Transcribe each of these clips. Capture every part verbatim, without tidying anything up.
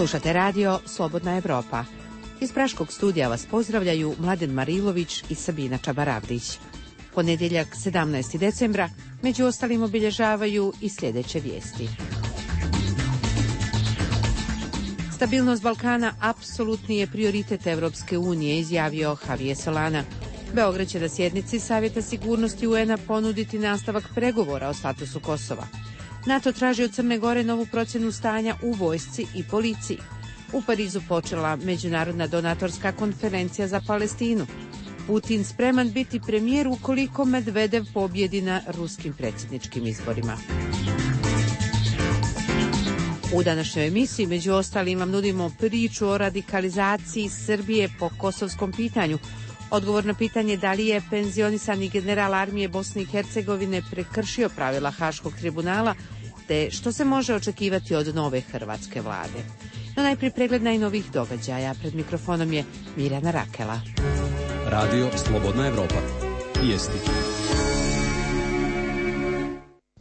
Slušate radio Slobodna Evropa. Iz Praškog studija vas pozdravljaju Mladen Marilović i Sabina Čabaravdić. Ponedjeljak sedamnaestog decembra među ostalim obilježavaju i sljedeće vijesti. Stabilnost Balkana apsolutni je prioritet Evropske unije, izjavio Javier Solana. Beograd će na sjednici Savjeta sigurnosti U N A ponuditi nastavak pregovora o statusu Kosova. NATO traži od Crne Gore novu procjenu stanja u vojsci i policiji. U Parizu počela međunarodna donatorska konferencija za Palestinu. Putin spreman biti premijer ukoliko Medvedev pobjedi na ruskim predsjedničkim izborima. U današnjoj emisiji među ostalim vam nudimo priču o radikalizaciji Srbije po kosovskom pitanju. Odgovor na pitanje da li je penzionisani general armije Bosne i Hercegovine prekršio pravila Haškog tribunala, te što se može očekivati od nove hrvatske vlade. No najprije pregled najnovijih događaja. Pred mikrofonom je Mirjana Rakela. Radio Slobodna Evropa. Vijesti.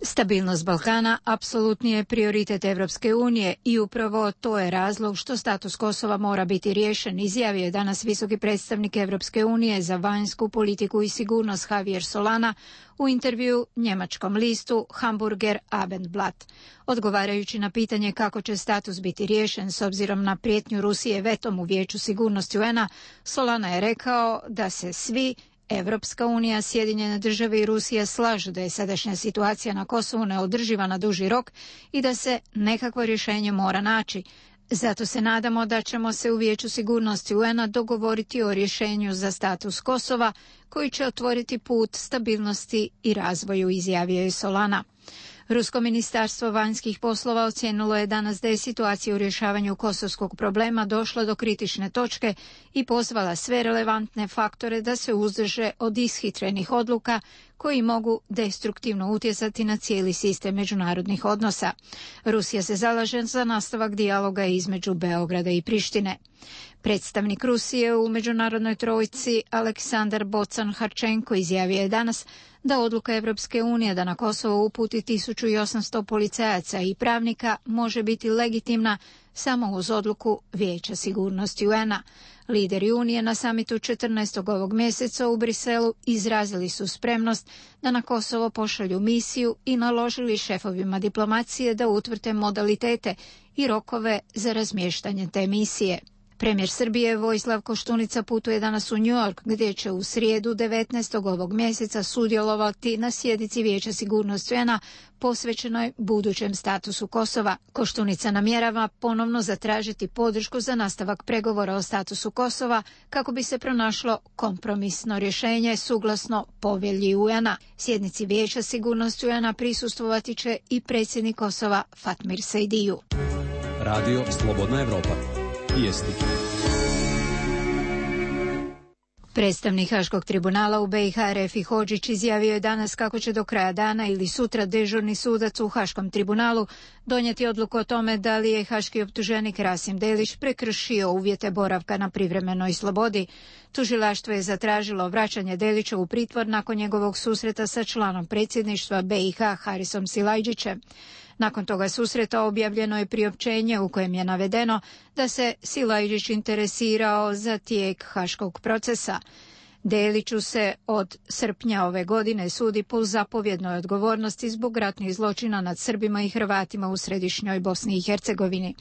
Stabilnost Balkana apsolutni je prioritet Evropske unije i upravo to je razlog što status Kosova mora biti riješen, izjavio je danas visoki predstavnik Evropske unije za vanjsku politiku i sigurnost Javier Solana u intervju njemačkom listu Hamburger Abendblatt. Odgovarajući na pitanje kako će status biti riješen s obzirom na prijetnju Rusije vetom u Vijeću sigurnosti U N A, Solana je rekao da se svi Evropska unija, Sjedinjene države i Rusija slažu da je sadašnja situacija na Kosovu neodrživa na duži rok i da se nekakvo rješenje mora naći. Zato se nadamo da ćemo se u Vijeću sigurnosti U N A dogovoriti o rješenju za status Kosova koji će otvoriti put stabilnosti i razvoju, izjavio je Solana. Rusko ministarstvo vanjskih poslova ocijenilo je danas da je situacija u rješavanju kosovskog problema došla do kritične točke i pozvala sve relevantne faktore da se uzdrže od ishitrenih odluka koji mogu destruktivno utjecati na cijeli sistem međunarodnih odnosa. Rusija se zalaže za nastavak dijaloga između Beograda i Prištine. Predstavnik Rusije u međunarodnoj trojici Aleksandar Bocan-Harčenko izjavio je danas da odluka Evropske unije da na Kosovo uputi tisuću osamsto policajaca i pravnika može biti legitimna samo uz odluku Vijeća sigurnosti U N A. Lideri Unije na samitu četrnaestog ovog mjeseca u Briselu izrazili su spremnost da na Kosovo pošalju misiju i naložili šefovima diplomacije da utvrde modalitete i rokove za razmještanje te misije. Premijer Srbije Vojislav Koštunica putuje danas u New York, gdje će u srijedu devetnaestog ovog mjeseca sudjelovati na sjednici Vijeća sigurnosti U N A posvećenoj budućem statusu Kosova. Koštunica namjerava ponovno zatražiti podršku za nastavak pregovora o statusu Kosova kako bi se pronašlo kompromisno rješenje suglasno povelji U N A. Sjednici Vijeća sigurnosti U N A prisustvovati će i predsjednik Kosova Fatmir Sejdiju. Radio Slobodna Evropa. Vijesti. Predstavnik Haškog tribunala u B i H Refi Hodžić izjavio je danas kako će do kraja dana ili sutra dežurni sudac u Haškom tribunalu donijeti odluku o tome da li je haški optuženik Rasim Delić prekršio uvjete boravka na privremenoj slobodi. Tužilaštvo je zatražilo vraćanje Delića u pritvor nakon njegovog susreta sa članom predsjedništva B i H Harisom Silajdžićem. Nakon toga susreta objavljeno je priopćenje u kojem je navedeno da se Silajdžić interesirao za tijek haškog procesa. Deliću se od srpnja ove godine sudi po zapovjednoj odgovornosti zbog ratnih zločina nad Srbima i Hrvatima u središnjoj Bosni i Hercegovini.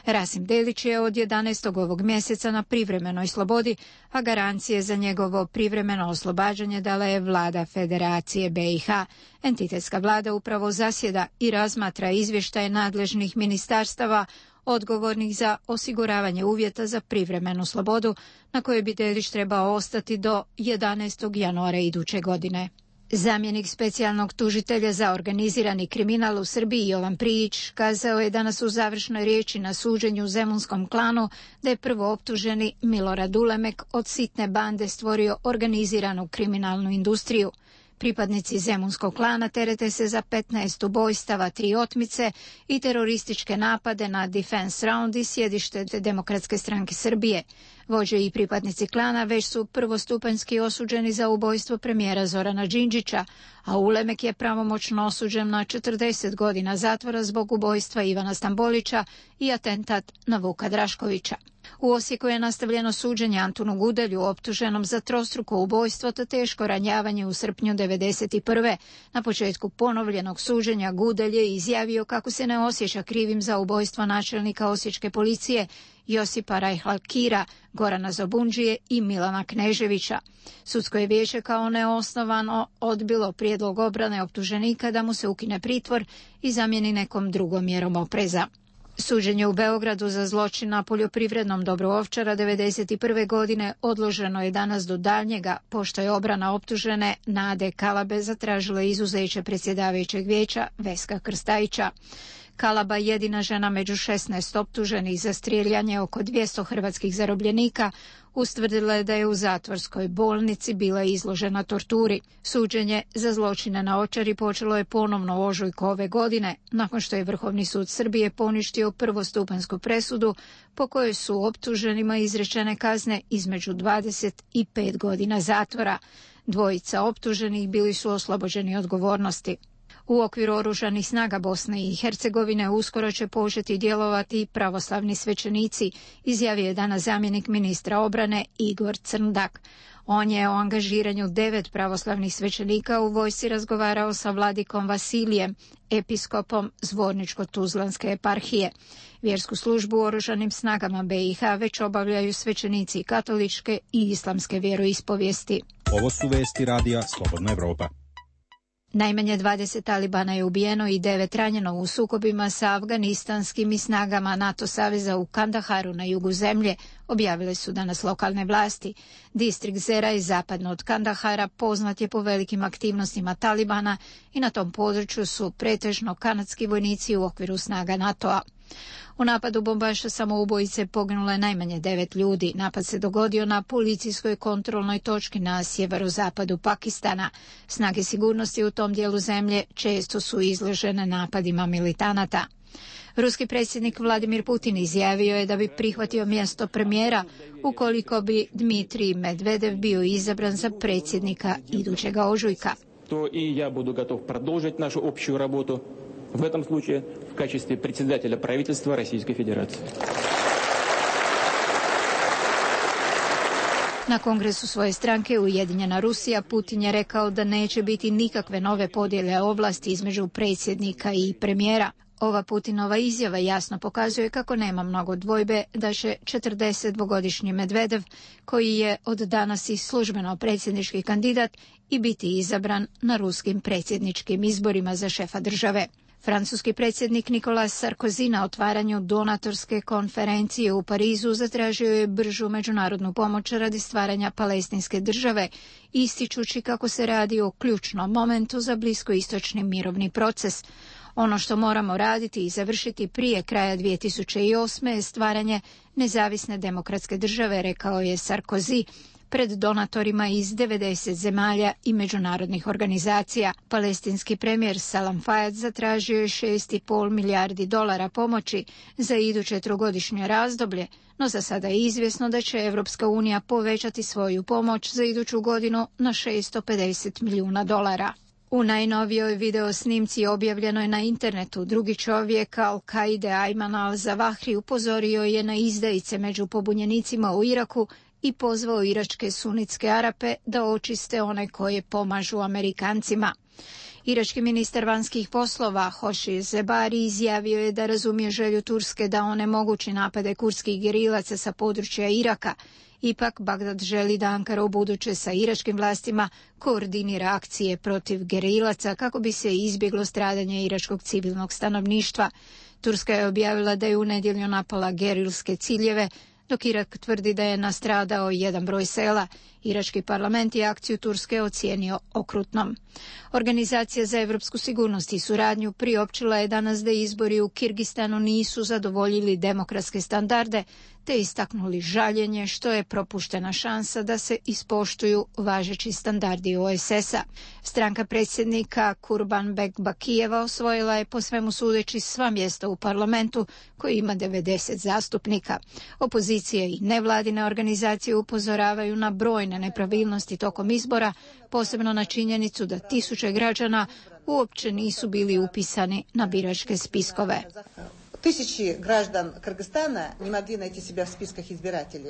Rasim Delić je od jedanaestog ovog mjeseca na privremenoj slobodi, a garancije za njegovo privremeno oslobađanje dala je vlada Federacije B i H. Entitetska vlada upravo zasjeda i razmatra izvještaje nadležnih ministarstava odgovornih za osiguravanje uvjeta za privremenu slobodu, na kojoj bi Delić trebao ostati do jedanaestog januara iduće godine. Zamjenik specijalnog tužitelja za organizirani kriminal u Srbiji Jovan Prijić kazao je danas u završnoj riječi na suđenju u Zemunskom klanu da je prvo optuženi Milorad Ulemek od sitne bande stvorio organiziranu kriminalnu industriju. Pripadnici Zemunskog klana terete se za petnaest ubojstava, tri otmice i terorističke napade na Defense Round i sjedište Demokratske stranke Srbije. Vođe i pripadnici klana već su prvostupanjski osuđeni za ubojstvo premijera Zorana Đinđića, a Ulemek je pravomoćno osuđen na četrdeset godina zatvora zbog ubojstva Ivana Stambolića i atentat na Vuka Draškovića. U Osijeku je nastavljeno suđenje Antunu Gudelju, optuženom za trostruko ubojstvo te teško ranjavanje u srpnju devedeset prve. Na početku ponovljenog suđenja Gudelj je izjavio kako se ne osjeća krivim za ubojstvo načelnika osječke policije Josipa Rajhalkira, Gorana Zobundžije i Milana Kneževića. Sudsko je vijeće kao neosnovano odbilo prijedlog obrane optuženika da mu se ukine pritvor i zamijeni nekom drugom mjerom opreza. Suđenje u Beogradu za zločin na poljoprivrednom dobru Ovčara devedeset prve godine odloženo je danas do daljnjega, pošto je obrana optužene Nade Kalabe zatražila izuzeće predsjedavajućeg vijeća Veska Krstajića. Kalaba, jedina žena među šesnaest optuženih za strijeljanje oko dvjesto hrvatskih zarobljenika, ustvrdila je da je u zatvorskoj bolnici bila izložena torturi. Suđenje za zločine na Ovčari počelo je ponovno u ožujku ove godine, nakon što je Vrhovni sud Srbije poništio prvostupanjsku presudu po kojoj su optuženima izrečene kazne između dvadeset i pet godina zatvora. Dvojica optuženih bili su oslobođeni odgovornosti. U okviru oružanih snaga Bosne i Hercegovine uskoro će početi djelovati pravoslavni svećenici, izjavio je danas zamjenik ministra obrane Igor Crndak. On je o angažiranju devet pravoslavnih svećenika u vojsci razgovarao sa vladikom Vasilijem, episkopom Zvorničko-Tuzlanske eparhije. Vjersku službu u oružanim snagama B i H već obavljaju svećenici katoličke i islamske vjeroispovijesti. Ovo su vesti radija Slobodna Evropa. Najmanje dvadeset talibana je ubijeno i devet ranjeno u sukobima sa afganistanskim i snagama NATO saveza u Kandaharu na jugu zemlje, objavile su danas lokalne vlasti. Distrikt Zera je zapadno od Kandahara, poznat je po velikim aktivnostima talibana i na tom području su pretežno kanadski vojnici u okviru snaga NATO-a. U napadu bombaša samoubojice poginulo je najmanje devet ljudi. Napad se dogodio na policijskoj kontrolnoj točki na sjeverozapadu Pakistana. Snage sigurnosti u tom dijelu zemlje često su izložene napadima militanata. Ruski predsjednik Vladimir Putin izjavio je da bi prihvatio mjesto premijera ukoliko bi Dmitrij Medvedev bio izabran za predsjednika idućega ožujka. To i ja budu gotov продолжить нашу общую работу. В этом случае в качестве председателя правительства Российской Федерации. Na kongresu svoje stranke Ujedinjena Rusija Putin je rekao da neće biti nikakve nove podjele ovlasti između predsjednika i premijera. Ova Putinova izjava jasno pokazuje kako nema mnogo dvojbe da će četrdesetdvogodišnji Medvedev, koji je od danas i službeno predsjednički kandidat, i biti izabran na ruskim predsjedničkim izborima za šefa države. Francuski predsjednik Nicolas Sarkozy na otvaranju donatorske konferencije u Parizu zatražio je bržu međunarodnu pomoć radi stvaranja palestinske države, ističući kako se radi o ključnom momentu za bliskoistočni mirovni proces. Ono što moramo raditi i završiti prije kraja dvije tisuće osme je stvaranje nezavisne demokratske države, rekao je Sarkozy pred donatorima iz devedeset zemalja i međunarodnih organizacija. Palestinski premijer Salam Fayyad zatražio je šest i pol milijardi dolara pomoći za iduće trogodišnje razdoblje, no za sada je izvjesno da će Evropska unija povećati svoju pomoć za iduću godinu na šesto pedeset milijuna dolara. U najnovijoj video snimci objavljenoj je na internetu drugi čovjek Al-Kaide Ayman al-Zawahri upozorio je na izdajice među pobunjenicima u Iraku i pozvao iračke sunitske Arape da očiste one koje pomažu Amerikancima. Irački ministar vanjskih poslova Hoši Zebari izjavio je da razumije želju Turske da onemogući napade kurdskih gerilaca sa područja Iraka. Ipak Bagdad želi da Ankara ubuduće sa iračkim vlastima koordinira akcije protiv gerilaca kako bi se izbjeglo stradanje iračkog civilnog stanovništva. Turska je objavila da je u nedjelju napala gerilske ciljeve, dok Irak tvrdi da je nastradao jedan broj sela. Irački parlament je akciju Turske ocijenio okrutnom. Organizacija za evropsku sigurnost i suradnju priopćila je danas da izbori u Kirgistanu nisu zadovoljili demokratske standarde, te istaknuli žaljenje što je propuštena šansa da se ispoštuju važeći standardi O S S-a. Stranka predsjednika Kurbanbek Bakijeva osvojila je po svemu sudeći sva mjesta u parlamentu koji ima devedeset zastupnika. Opozicije i nevladine organizacije upozoravaju na brojne nepravilnosti tokom izbora, posebno na činjenicu da tisuće građana uopće nisu bili upisani na biračke spiskove. Tisući građana Kırgızstana ne mogli naći sebe u spiskах izbiratelja.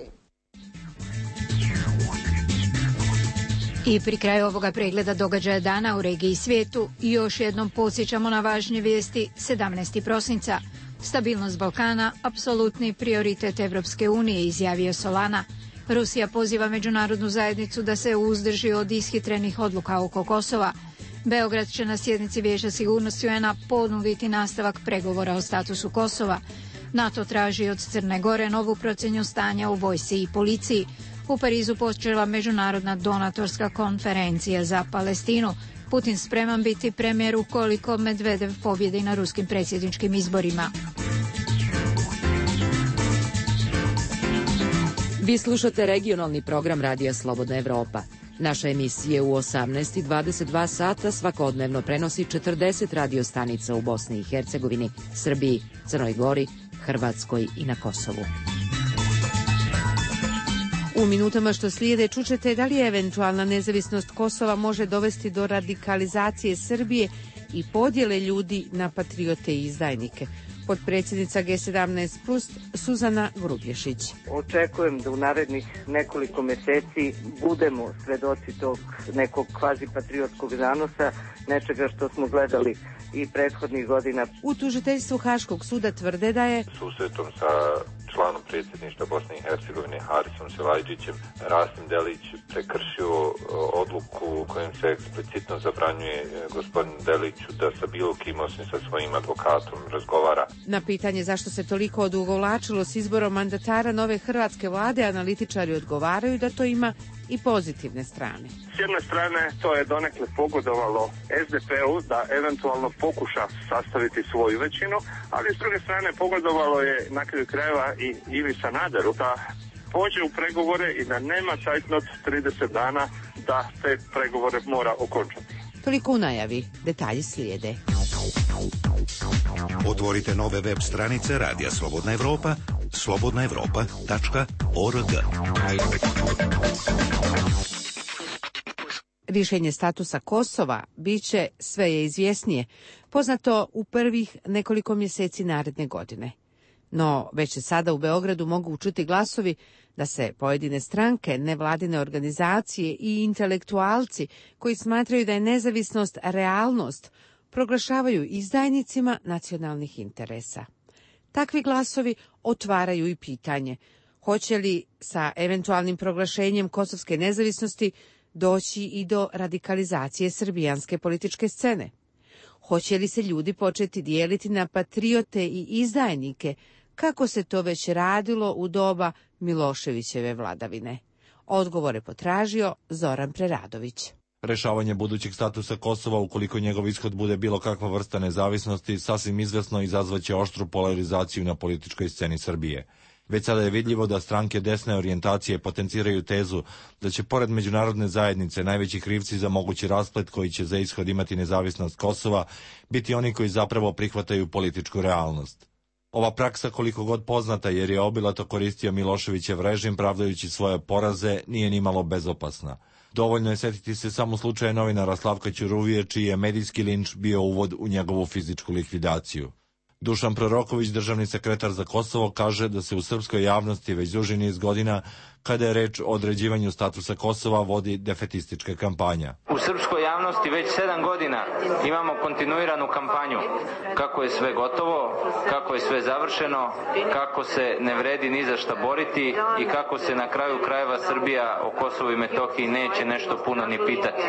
I pri kraju ovoga pregleda događaja dana u regiji i svijetu još jednom podsjećamo na važnje vijesti. sedamnaestog prosinca. Stabilnost Balkana, apsolutni prioritet Evropske unije, izjavio Solana. Rusija poziva međunarodnu zajednicu da se uzdrži od ishitrenih odluka oko Kosova. Beograd će na sjednici Vijeća sigurnosti U N-a ponuditi nastavak pregovora o statusu Kosova. NATO traži od Crne Gore novu procjenu stanja u vojsci i policiji. U Parizu počela međunarodna donatorska konferencija za Palestinu. Putin spreman biti premijer ukoliko Medvedev pobjedi na ruskim predsjedničkim izborima. Vi slušate regionalni program Radija Slobodna Evropa. Naša emisija u osamnaest i dvadeset dva sata svakodnevno prenosi četrdeset radio stanica u Bosni i Hercegovini, Srbiji, Crnoj Gori, Hrvatskoj i na Kosovu. U minutama što slijede čućete da li eventualna nezavisnost Kosova može dovesti do radikalizacije Srbije i podjele ljudi na patriote i izdajnike. Potpredsjednica G sedamnaest plus Suzana Grubješić. Očekujem da u narednih nekoliko mjeseci budemo svedoci tog nekog kvazi patriotskog zanosa, nečega što smo gledali i prethodnih godina. U tužiteljstvu Haškog suda tvrde da je susretom sa članom predsjedništva Bosne i Hercegovine Harisom Silajdžićem Rasim Delić prekršio odluku kojim se eksplicitno zabranjuje gospodin Deliću da sa bilo kim osim sa svojim advokatom razgovara. Na pitanje zašto se toliko odugovlačilo s izborom mandatara nove hrvatske vlade, analitičari odgovaraju da to ima i pozitivne strane. S jedne strane to je donekle pogodovalo S D P-u da eventualno pokuša sastaviti svoju većinu, ali s druge strane pogodovalo je na kraju krajeva i Ivi Sanaderu da pođe u pregovore i da nema cajtnot trideset dana da te pregovore mora okončati. Toliko u najavi, detalji slijede. Otvorite nove web stranice Radija Slobodna Evropa, slobodna evropa tačka org. Rješenje statusa Kosova biće sve je izvjesnije, poznato u prvih nekoliko mjeseci naredne godine. No, već se sada u Beogradu mogu učuti glasovi da se pojedine stranke, nevladine organizacije i intelektualci koji smatraju da je nezavisnost realnost, proglašavaju izdajnicima nacionalnih interesa. Takvi glasovi otvaraju i pitanje hoće li sa eventualnim proglašenjem kosovske nezavisnosti doći i do radikalizacije srbijanske političke scene. Hoće li se ljudi početi dijeliti na patriote i izdajnike, kako se to već radilo u doba Miloševićeve vladavine? Odgovore potražio Zoran Preradović. Rešavanje budućeg statusa Kosova, ukoliko njegov ishod bude bilo kakva vrsta nezavisnosti, sasvim izvesno izazvaće oštru polarizaciju na političkoj sceni Srbije. Već sada je vidljivo da stranke desne orijentacije potenciraju tezu da će pored međunarodne zajednice najveći krivci za mogući rasplet koji će za ishod imati nezavisnost Kosova biti oni koji zapravo prihvataju političku realnost. Ova praksa, koliko god poznata jer je obilato koristio Miloševićev režim pravdajući svoje poraze, nije nimalo bezopasna. Dovoljno je setiti se samo slučaja novinara Slavka Ćuruvije, čiji je medijski linč bio uvod u njegovu fizičku likvidaciju. Dušan Proroković, državni sekretar za Kosovo, kaže da se u srpskoj javnosti već duži niz godina, kada je reč o određivanju statusa Kosova, vodi defetistička kampanja. U srpskoj javnosti već sedam godina imamo kontinuiranu kampanju kako je sve gotovo, kako je sve završeno, kako se ne vredi ni za šta boriti i kako se na kraju krajeva Srbija o Kosovu i Metohiji neće nešto puno ni pitati.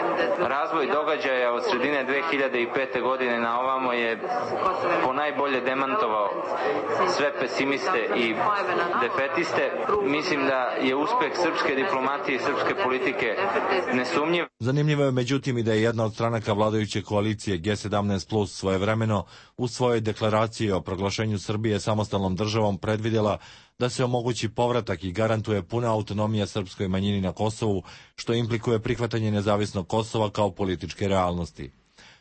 Razvoj događaja od sredine dve hiljade pete. godine na ovamo je ponajbolje demantovao sve pesimiste i defetiste. Mislim da je uspeh srpske diplomatije i srpske politike nesumnjiv. Zanimljivo je međutim i da je jedna od stranaka vladajuće koalicije G sedamnaest plus svojevremeno u svojoj deklaraciji o proglašenju Srbije samostalnom državom predvidjela da se omogući povratak i garantuje puna autonomija srpskoj manjini na Kosovu, što implikuje prihvatanje nezavisnog Kosova kao političke realnosti.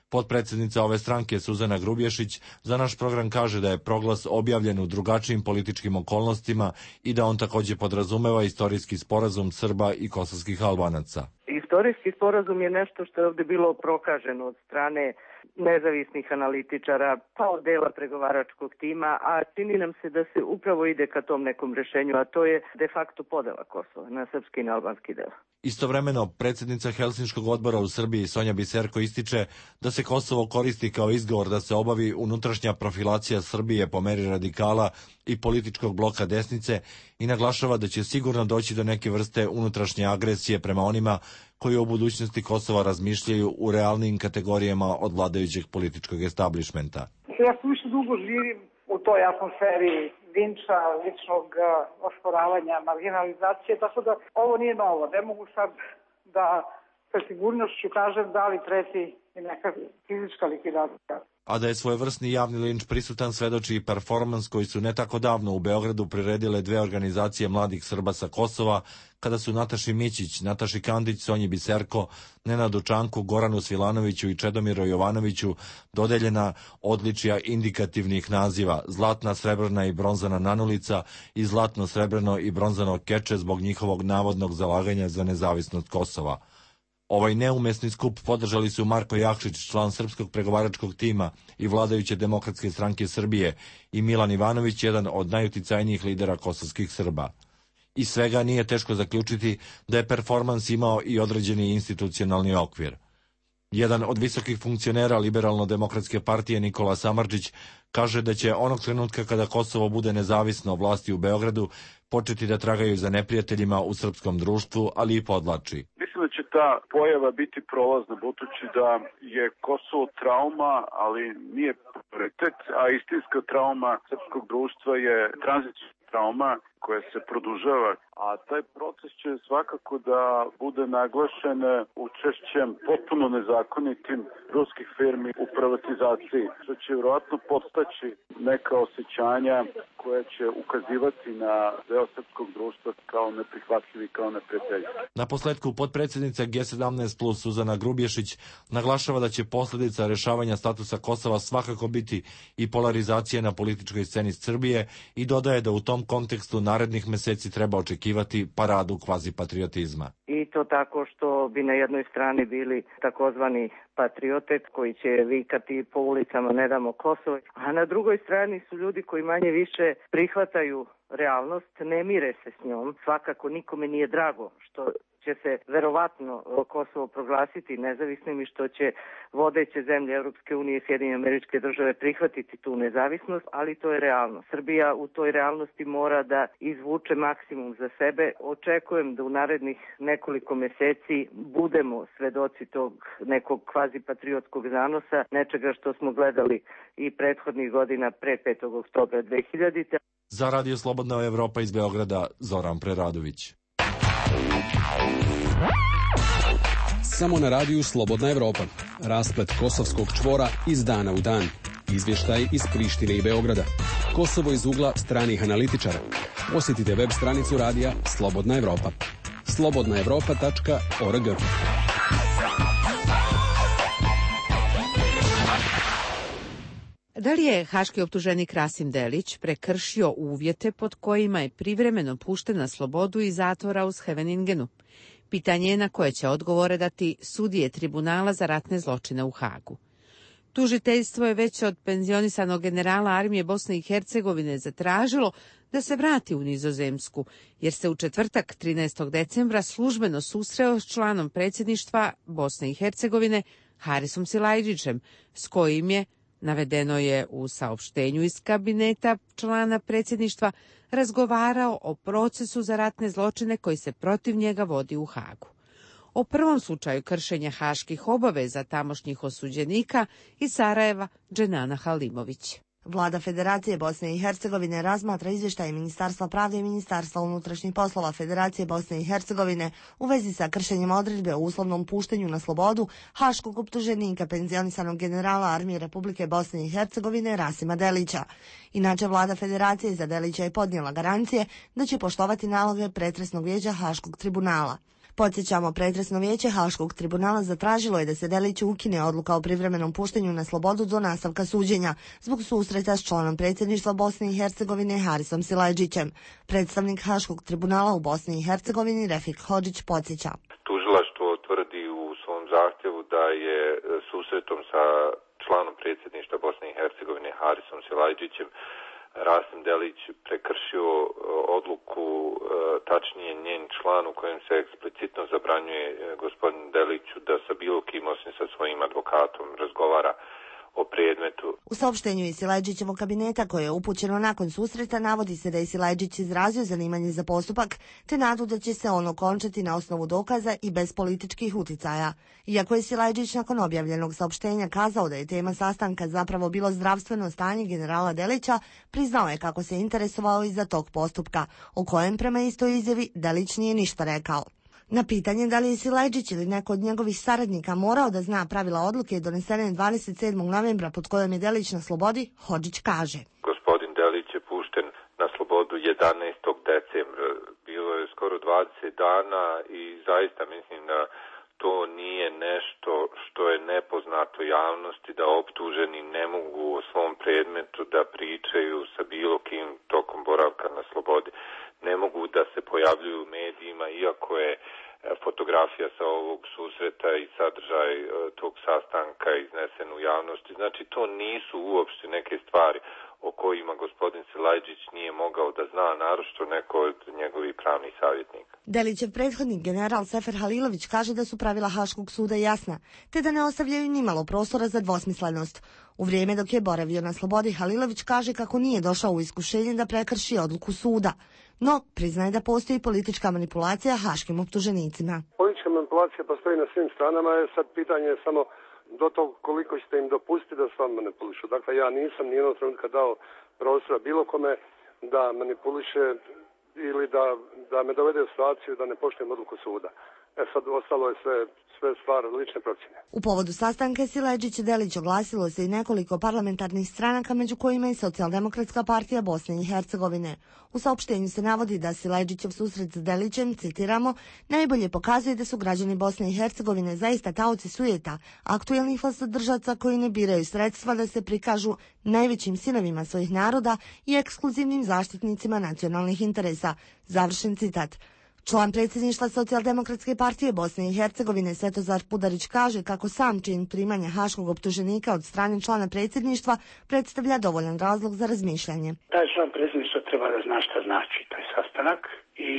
Potpredsjednica ove stranke Suzana Grubješić za naš program kaže da je proglas objavljen u drugačijim političkim okolnostima i da on također podrazumeva istorijski sporazum Srba i kosovskih Albanaca. Istorijski sporazum je nešto što je ovdje bilo prokaženo od strane nezavisnih analitičara, pa od dela pregovaračkog tima, a čini nam se da se upravo ide ka tom nekom rešenju, a to je de facto podela Kosova na srpski i na albanski deo. Istovremeno, predsjednica Helsinškog odbora u Srbiji Sonja Biserko ističe da se Kosovo koristi kao izgovor da se obavi unutrašnja profilacija Srbije po meri radikala i političkog bloka desnice i naglašava da će sigurno doći do neke vrste unutrašnje agresije prema onima koji o budućnosti Kosova razmišljaju u realnim kategorijama od vladajućeg političkog establishmenta. Ja sam više dugo živim u toj atmosferi linča, ličnog osporavanja, marginalizacije, tako da ovo nije novo. Ne mogu sad da sa sigurnošću kažem da li preti i neka fizička likvidacija. A da je svojevrsni javni linč prisutan svedoči i performans koji su ne tako davno u Beogradu priredile dve organizacije mladih Srba sa Kosova, kada su Nataši Mićić, Nataši Kandić, Sonji Biserko, Nenadu Čanku, Goranu Svilanoviću i Čedomiru Jovanoviću dodeljena odličja indikativnih naziva zlatna, srebrna i bronzana nanulica i zlatno, srebrno i bronzano keče zbog njihovog navodnog zalaganja za nezavisnost Kosova. Ovaj neumesni skup podržali su Marko Jakšić, član srpskog pregovaračkog tima i vladajuće Demokratske stranke Srbije, i Milan Ivanović, jedan od najuticajnijih lidera kosovskih Srba. Iz svega nije teško zaključiti da je performans imao i određeni institucionalni okvir. Jedan od visokih funkcionera Liberalno-demokratske partije Nikola Samardžić kaže da će onog trenutka kada Kosovo bude nezavisno vlasti u Beogradu početi da tragaju za neprijateljima u srpskom društvu, ali i podlači. Mislim da će ta pojava biti prolazna, budući da je Kosovo trauma, ali nije prioritet, a istinska trauma srpskog društva je tranzicijska trauma koja se produžava, a taj proces će svakako da bude naglašen učešćem potpuno nezakonitim ruskih firmi u privatizaciji, što će vjerojatno podstaći neka osjećanja koja će ukazivati na deo srpskog društva kao neprihvatljivi, kao neprijatelji. Na posledku potpredsjednica G sedamnaest plus Suzana Grubješić naglašava da će posljedica rešavanja statusa Kosova svakako biti i polarizacija na političkoj sceni Srbije i dodaje da u tom kontekstu narednih meseci treba očekivati paradu kvazipatriotizma. I to tako što bi na jednoj strani bili takozvani patriote koji će vikati po ulicama ne damo Kosovo, a na drugoj strani su ljudi koji manje više prihvataju realnost, ne mire se s njom. Svakako nikome nije drago što će se verovatno Kosovo proglasiti nezavisnim i što će vodeće zemlje Europske unije i Sjedinjene Američke Države prihvatiti tu nezavisnost, ali to je realno. Srbija u toj realnosti mora da izvuče maksimum za sebe. Očekujem da u narednih nekoliko meseci budemo svedoci tog nekog kvazipatriotskog zanosa, nečega što smo gledali i prethodnih godina pre petog oktobra dve hiljadite. Za Radio Slobodna Evropa iz Beograda, Zoran Preradović. Samo na radiju Slobodna Evropa. Rasplet kosovskog čvora iz dana u dan. Izvještaj iz Prištine i Beograda. Kosovo iz ugla stranih analitičara. Posjetite web stranicu radija Slobodna Evropa. slobodna evropa tačka org. Da li je haški optuženik Rasim Delić prekršio uvjete pod kojima je privremeno pušten na slobodu iz zatvora u Scheveningenu? Pitanje je na koje će odgovore dati sudije Tribunala za ratne zločine u Hagu. Tužiteljstvo je već od penzionisanog generala armije Bosne i Hercegovine zatražilo da se vrati u Nizozemsku, jer se u četvrtak trinaestog decembra službeno susreo s članom predsjedništva Bosne i Hercegovine Harisom Silajdžićem, s kojim je, navedeno je u saopštenju iz kabineta člana predsjedništva, razgovarao o procesu za ratne zločine koji se protiv njega vodi u Hagu. O prvom slučaju kršenja haških obaveza tamošnjih osuđenika iz Sarajeva, Dženana Halimović. Vlada Federacije Bosne i Hercegovine razmatra izvještaje Ministarstva pravde i Ministarstva unutrašnjih poslova Federacije Bosne i Hercegovine u vezi sa kršenjem odredbe o uslovnom puštenju na slobodu haškog optuženika penzionisanog generala Armije Republike Bosne i Hercegovine Rasima Delića. Inače, Vlada Federacije za Delića je podnijela garancije da će poštovati naloge pretresnog vijeća Haškog tribunala. Podsjećamo, pretresno vijeće Haškog tribunala zatražilo je da se Deliću ukine odluka o privremenom puštenju na slobodu do nastavka suđenja zbog susreta s članom predsjedništva Bosne i Hercegovine Harisom Silajdžićem. Predstavnik Haškog tribunala u Bosni i Hercegovini Refik Hodžić podsjeća. Tužilaštvo tvrdi u svom zahtjevu da je susretom sa članom predsjedništva Bosne i Hercegovine Harisom Silajdžićem Rasim Delić prekršio odluku, tačnije njen član u kojem se eksplicitno zabranjuje gospodin Deliću da sa bilo kim osim sa svojim advokatom razgovara o predmetu. U saopštenju iz Silajdžićevog kabineta koje je upućeno nakon susreta navodi se da je Silajdžić izrazio zanimanje za postupak te nadu da će se on okončati na osnovu dokaza i bez političkih uticaja. Iako je Silajdžić nakon objavljenog saopštenja kazao da je tema sastanka zapravo bilo zdravstveno stanje generala Delića, priznao je kako se interesovao i za tog postupka, o kojem prema istoj izjavi Delić nije ništa rekao. Na pitanje da li je Silajdžić ili neko od njegovih saradnika morao da zna pravila odluke donesene dvadeset sedmog novembra pod kojom je Delić na slobodi, Hodžić kaže. Gospodin Delić je pušten na slobodu jedanaestog decembra. Bilo je skoro dvadeset dana i zaista mislim da to nije nešto što je nepoznato javnosti, da optuženi ne mogu o svom predmetu da pričaju sa bilo kim tokom boravka na slobodi. Ne mogu da se pojavljuju u medijima, iako je fotografija sa ovog susreta i sadržaj tog sastanka iznesen u javnosti. Znači, to nisu uopšte neke stvari o kojima gospodin Silajdžić nije mogao da zna, naročito neko od njegovih pravnih savjetnika. Delićev prethodnik general Sefer Halilović kaže da su pravila Haškog suda jasna, te da ne ostavljaju nimalo prostora za dvosmislenost. U vrijeme dok je boravio na slobodi, Halilović kaže kako nije došao u iskušenje da prekrši odluku suda, no priznaje da postoji politička manipulacija haškim optuženicima. Politička manipulacija postoji na svim stranama, je sad pitanje je samo do tog koliko ćete im dopustiti da s vama manipulišu. Dakle, ja nisam nijednog trenutka dao prostora bilo kome da manipuliše ili da, da me dovede u situaciju da ne poštujem odluku suda. E sad, ostalo je sve, sve stvar lične procjene. U povodu sastanka Silajdžić i Delić oglasilo se i nekoliko parlamentarnih stranaka, među kojima i Socijaldemokratska partija Bosne i Hercegovine. U saopštenju se navodi da Silajdžićev susret s Delićem, citiramo, najbolje pokazuje da su građani Bosne i Hercegovine zaista taoci sujeta, aktuelnih vlastodržaca koji ne biraju sredstva da se prikažu najvećim sinovima svojih naroda i ekskluzivnim zaštitnicima nacionalnih interesa. Završen citat. Član predsjedništva Socijaldemokratske partije Bosne i Hercegovine Svetozar Pudarić kaže kako sam čin primanja haškog optuženika od strane člana predsjedništva predstavlja dovoljan razlog za razmišljanje. Taj član predsjedništva treba da zna šta znači taj sastanak i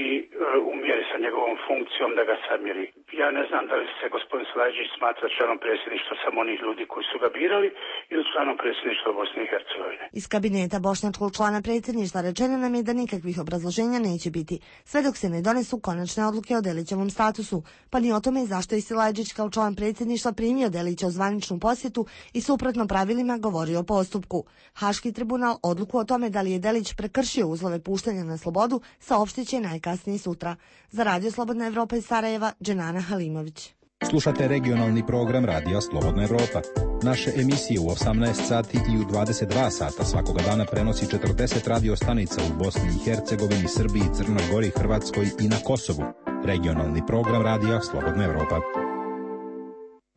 u mjeri sa njegovom funkcijom da ga samjeri. Ja ne znam da li se gospodin Silajdžić smatra članom predsjedništva samo onih ljudi koji su ga birali ili članom predsjedništva Bosne i Hercegovine. Iz kabineta bošnjačkog člana predsjedništva rečeno nam je da nikakvih obrazloženja neće biti, sve dok se ne donesu konačne odluke o Delićevom statusu, pa ni o tome zašto je Silajdžić kao član predsjedništva primio Delića u zvaničnu posjetu i suprotno pravilima govorio o postupku. Haški tribunal odluku o tome da li je Delić prekršio uslove puštanja na slobodu saopštit će najkasnije sutra. Za Radio Slobodna Evropa iz Sarajeva, Dženana Halimović. Slušate regionalni program Radija Slobodna Evropa. Naše emisije u osamnaest sati i u dvadeset dva sata svakoga dana prenosi četrdeset radio stanica u Bosni i Hercegovini, Srbiji, Crnoj Gori, Hrvatskoj i na Kosovu. Regionalni program Radija Slobodna Evropa.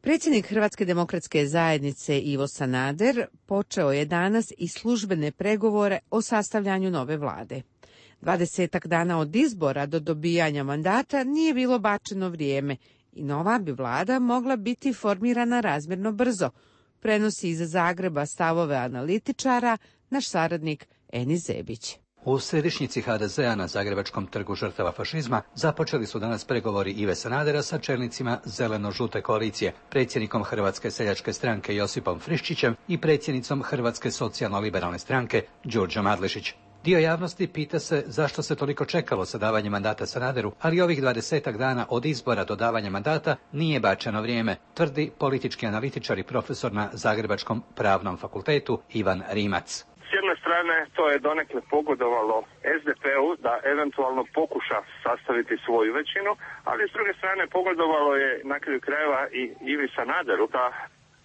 Predsjednik Hrvatske demokratske zajednice Ivo Sanader počeo je danas i službene pregovore o sastavljanju nove vlade. Dvadesetak dana od izbora do dobijanja mandata nije bilo bačeno vrijeme i nova bi vlada mogla biti formirana razmjerno brzo, prenosi iz Zagreba stavove analitičara naš saradnik Enis Zebić. U središnjici ha de zea na Zagrebačkom trgu žrtava fašizma započeli su danas pregovori Ive Sanadera sa čelnicima zeleno-žute koalicije, predsjednikom Hrvatske seljačke stranke Josipom Friščićem i predsjednicom Hrvatske socijalno-liberalne stranke Đurđom Adlešić. Dio javnosti pita se zašto se toliko čekalo sa davanjem mandata Sanaderu, ali ovih dvadesetak dana od izbora do davanja mandata nije bačeno vrijeme, tvrdi politički analitičar i profesor na Zagrebačkom pravnom fakultetu Ivan Rimac. strane to je donekle pogodovalo es de pe u da eventualno pokuša sastaviti svoju većinu, ali s druge strane pogodovalo je na kraju krajeva i Ivi Sanaderu da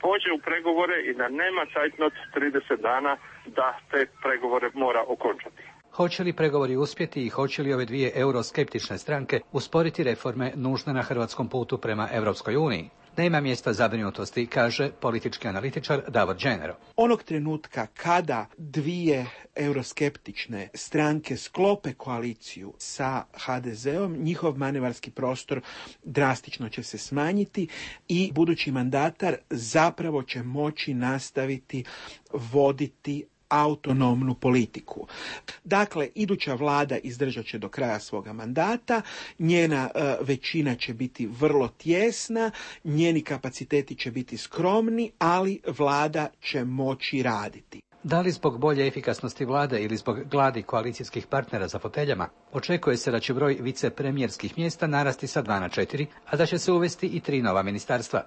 pođe u pregovore i da nema cajtnot trideset dana da te pregovore mora okončati. Hoće li pregovori uspjeti i hoće li ove dvije euroskeptične stranke usporiti reforme nužne na hrvatskom putu prema Europskoj uniji? Nema mjesta zabrinutosti, kaže politički analitičar Davor Đenero. Onog trenutka kada dvije euroskeptične stranke sklope koaliciju sa ha de zeom, njihov manevarski prostor drastično će se smanjiti i budući mandatar zapravo će moći nastaviti voditi autonomnu politiku. Dakle, iduća vlada izdržat će do kraja svoga mandata, njena e, većina će biti vrlo tjesna, njeni kapaciteti će biti skromni, ali vlada će moći raditi. Da li zbog bolje efikasnosti vlade ili zbog gladi koalicijskih partnera za foteljama, očekuje se da će broj vicepremjerskih mjesta narasti sa dva na četiri, a da će se uvesti i tri nova ministarstva.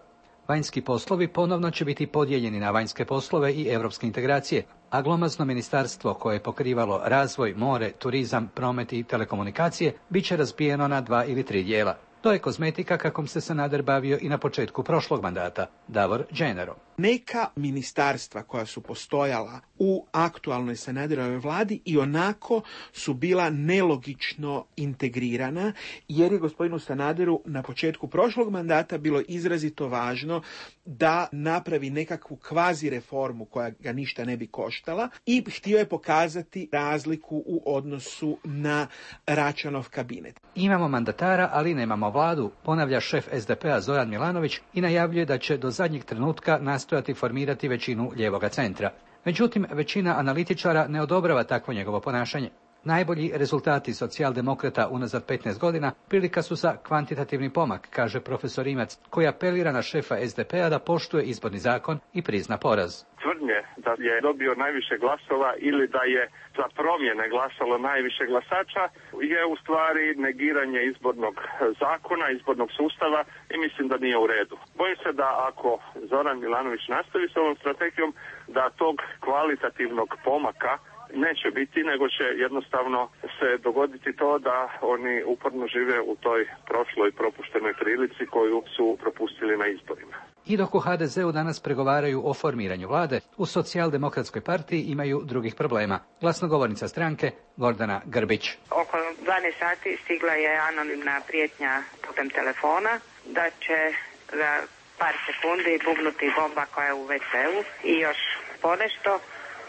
Vanjski poslovi ponovno će biti podijeljeni na vanjske poslove i europske integracije, a glomazno ministarstvo koje je pokrivalo razvoj, more, turizam, promet i telekomunikacije bit će razbijeno na dva ili tri dijela. To je kozmetika kakom se Sanader bavio i na početku prošlog mandata. Davor Đenero. Neka ministarstva koja su postojala u aktualnoj Sanaderovoj vladi i onako su bila nelogično integrirana, jer je gospodinu Sanaderu na početku prošlog mandata bilo izrazito važno da napravi nekakvu kvazi reformu koja ga ništa ne bi koštala i htio je pokazati razliku u odnosu na Račanov kabinet. Imamo mandatara, ali nemamo vladu, ponavlja šef es de pe a Zoran Milanović i najavljuje da će do zadnjeg trenutka nastojati formirati većinu lijevoga centra. Međutim, većina analitičara ne odobrava takvo njegovo ponašanje. Najbolji rezultati socijaldemokrata unazad petnaest godina prilika su za kvantitativni pomak, kaže profesor Rimac, koji apelira na šefa es de pe a da poštuje izborni zakon i prizna poraz. Tvrdnje da je dobio najviše glasova ili da je za promjene glasalo najviše glasača je u stvari negiranje izbornog zakona, izbornog sustava i mislim da nije u redu. Bojim se da ako Zoran Milanović nastavi s ovom strategijom, da tog kvalitativnog pomaka neće biti, nego će jednostavno se dogoditi to da oni uporno žive u toj prošloj propuštenoj prilici koju su propustili na izborima. I dok u ha de zeu danas pregovaraju o formiranju vlade, u Socijaldemokratskoj partiji imaju drugih problema. Glasnogovornica stranke Gordana Grbić. Oko dvanaest sati stigla je anonimna prijetnja putem telefona da će za par sekundi bubnuti bomba koja je u ve ceu i još ponešto.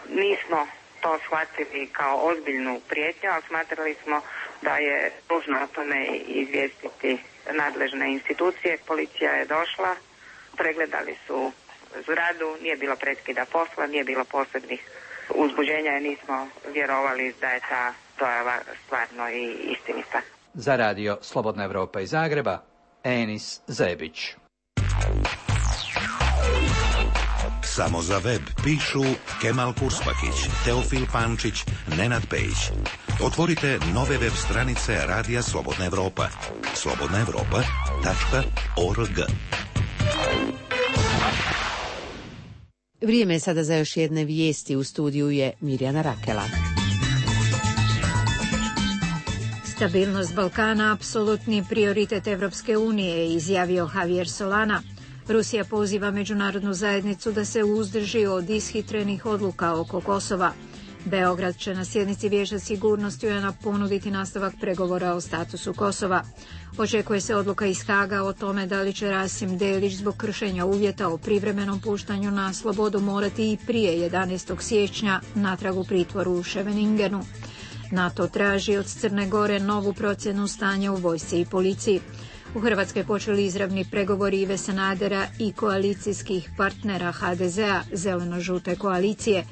Nismo to shvatili kao ozbiljnu prijetnju, ali smatrali smo da je nužno o tome izvijestiti nadležne institucije. Policija je došla, pregledali su zgradu, nije bilo prekida posla, nije bilo posebnih uzbuđenja i nismo vjerovali da je ta dojava stvarno i istinita. Za radio Slobodna Evropa iz Zagreba, Enis Zebić. Samo za web pišu Kemal Kurspakić, Teofil Pančić, Nenad Pejić. Otvorite nove web stranice Radija Slobodna Evropa. slobodna evropa tačka org. Vrijeme je sada za još jedne vijesti. U studiju je Mirjana Rakela. Stabilnost Balkana apsolutni prioritet Evropske unije, izjavio Javier Solana. Rusija poziva međunarodnu zajednicu da se uzdrži od ishitrenih odluka oko Kosova. Beograd će na sjednici Vijeća sigurnosti u en a ponuditi nastavak pregovora o statusu Kosova. Očekuje se odluka iz Haga o tome da li će Rasim Delić zbog kršenja uvjeta o privremenom puštanju na slobodu morati i prije jedanaestog siječnja natrag u pritvoru u Scheveningenu. NATO traži od Crne Gore novu procjenu stanja u vojsci i policiji. U Hrvatskoj počeli izravni pregovori Ive Sanadera i koalicijskih partnera ha de zea, zeleno-žute koalicije.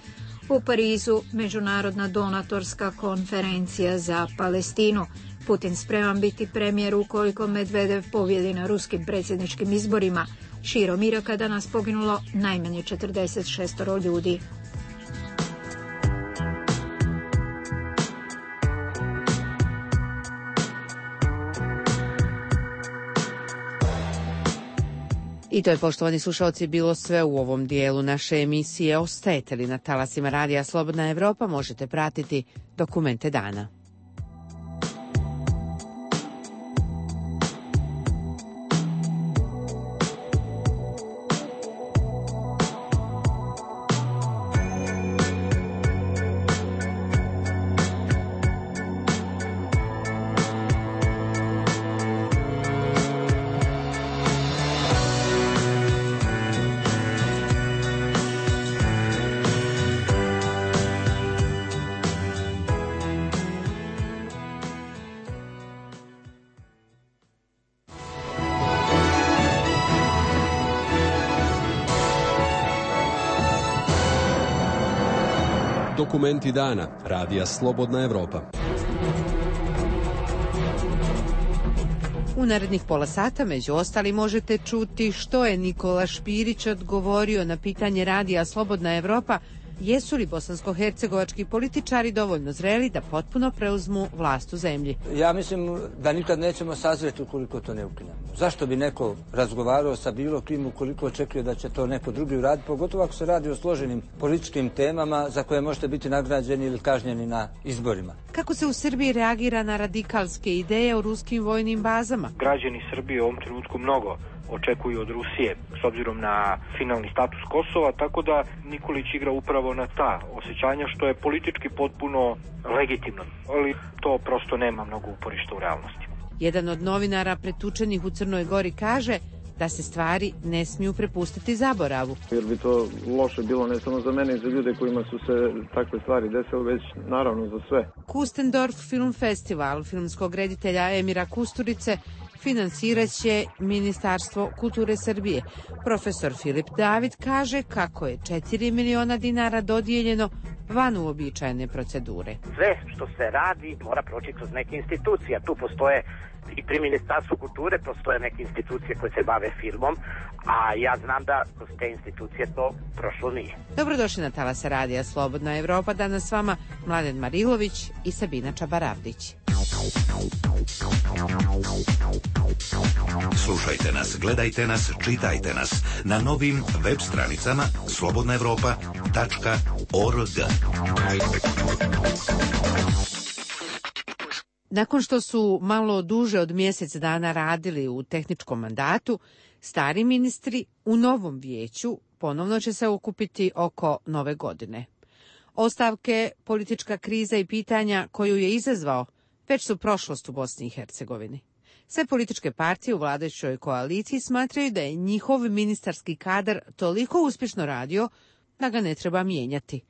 U Parizu međunarodna donatorska konferencija za Palestinu. Putin spreman biti premijer ukoliko Medvedev pobjedi na ruskim predsjedničkim izborima. Širom Iraka danas poginulo najmanje četrdeset šest ljudi. I to je, poštovani slušalci, bilo sve u ovom dijelu naše emisije. Ostajete li na talasima Radija Slobodna Evropa, možete pratiti Dokumente dana. Dokumenti dana Radija Slobodna Evropa. U narednih pola sata, među ostali, možete čuti što je Nikola Špirić odgovorio na pitanje Radija Slobodna Evropa, jesu li bosansko-hercegovački političari dovoljno zreli da potpuno preuzmu vlast u zemlji. Ja mislim da nikad nećemo sazreti ukoliko to ne ukinemo. Zašto bi neko razgovarao sa bilo kim ukoliko očekuje da će to neko drugi uraditi, pogotovo ako se radi o složenim političkim temama za koje možete biti nagrađeni ili kažnjeni na izborima. Kako se u Srbiji reagira na radikalske ideje o ruskim vojnim bazama? Građani Srbije u ovom trenutku mnogo očekuju od Rusije s obzirom na finalni status Kosova, tako da Nikolić igra upravo na ta osjećanja, što je politički potpuno legitimno, ali to prosto nema mnogo uporišta u realnosti. Jedan od novinara pretučenih u Crnoj Gori kaže da se stvari ne smiju prepustiti zaboravu. Jer bi to loše bilo ne samo za mene i za ljude kojima su se takve stvari desile, već naravno za sve. Kustendorf Film Festival filmskog reditelja Emira Kusturice finansirat će Ministarstvo kulture Srbije. Profesor Filip David kaže kako je četiri miliona dinara dodijeljeno van uobičajene procedure. Sve što se radi mora proći kroz neke institucije. Tu postoje i pri Ministarstvu kulture postoje neke institucije koje se bave filmom, a ja znam da kroz te institucije to prošlo nije. Dobrodošli na talase Radija Slobodna Evropa. Danas s vama Mladen Marilović i Sabina Čabaravdić. Slušajte nas, gledajte nas, čitajte nas na novim web stranicama slobodna evropa tačka org. Nakon što su malo duže od mjesec dana radili u tehničkom mandatu, stari ministri u novom vijeću ponovno će se okupiti oko nove godine. Ostavke, politička kriza i pitanja koju je izazvao već su prošlost u Bosni i Hercegovini. Sve političke partije u vladajućoj koaliciji smatraju da je njihov ministarski kadar toliko uspješno radio da ga ne treba mijenjati.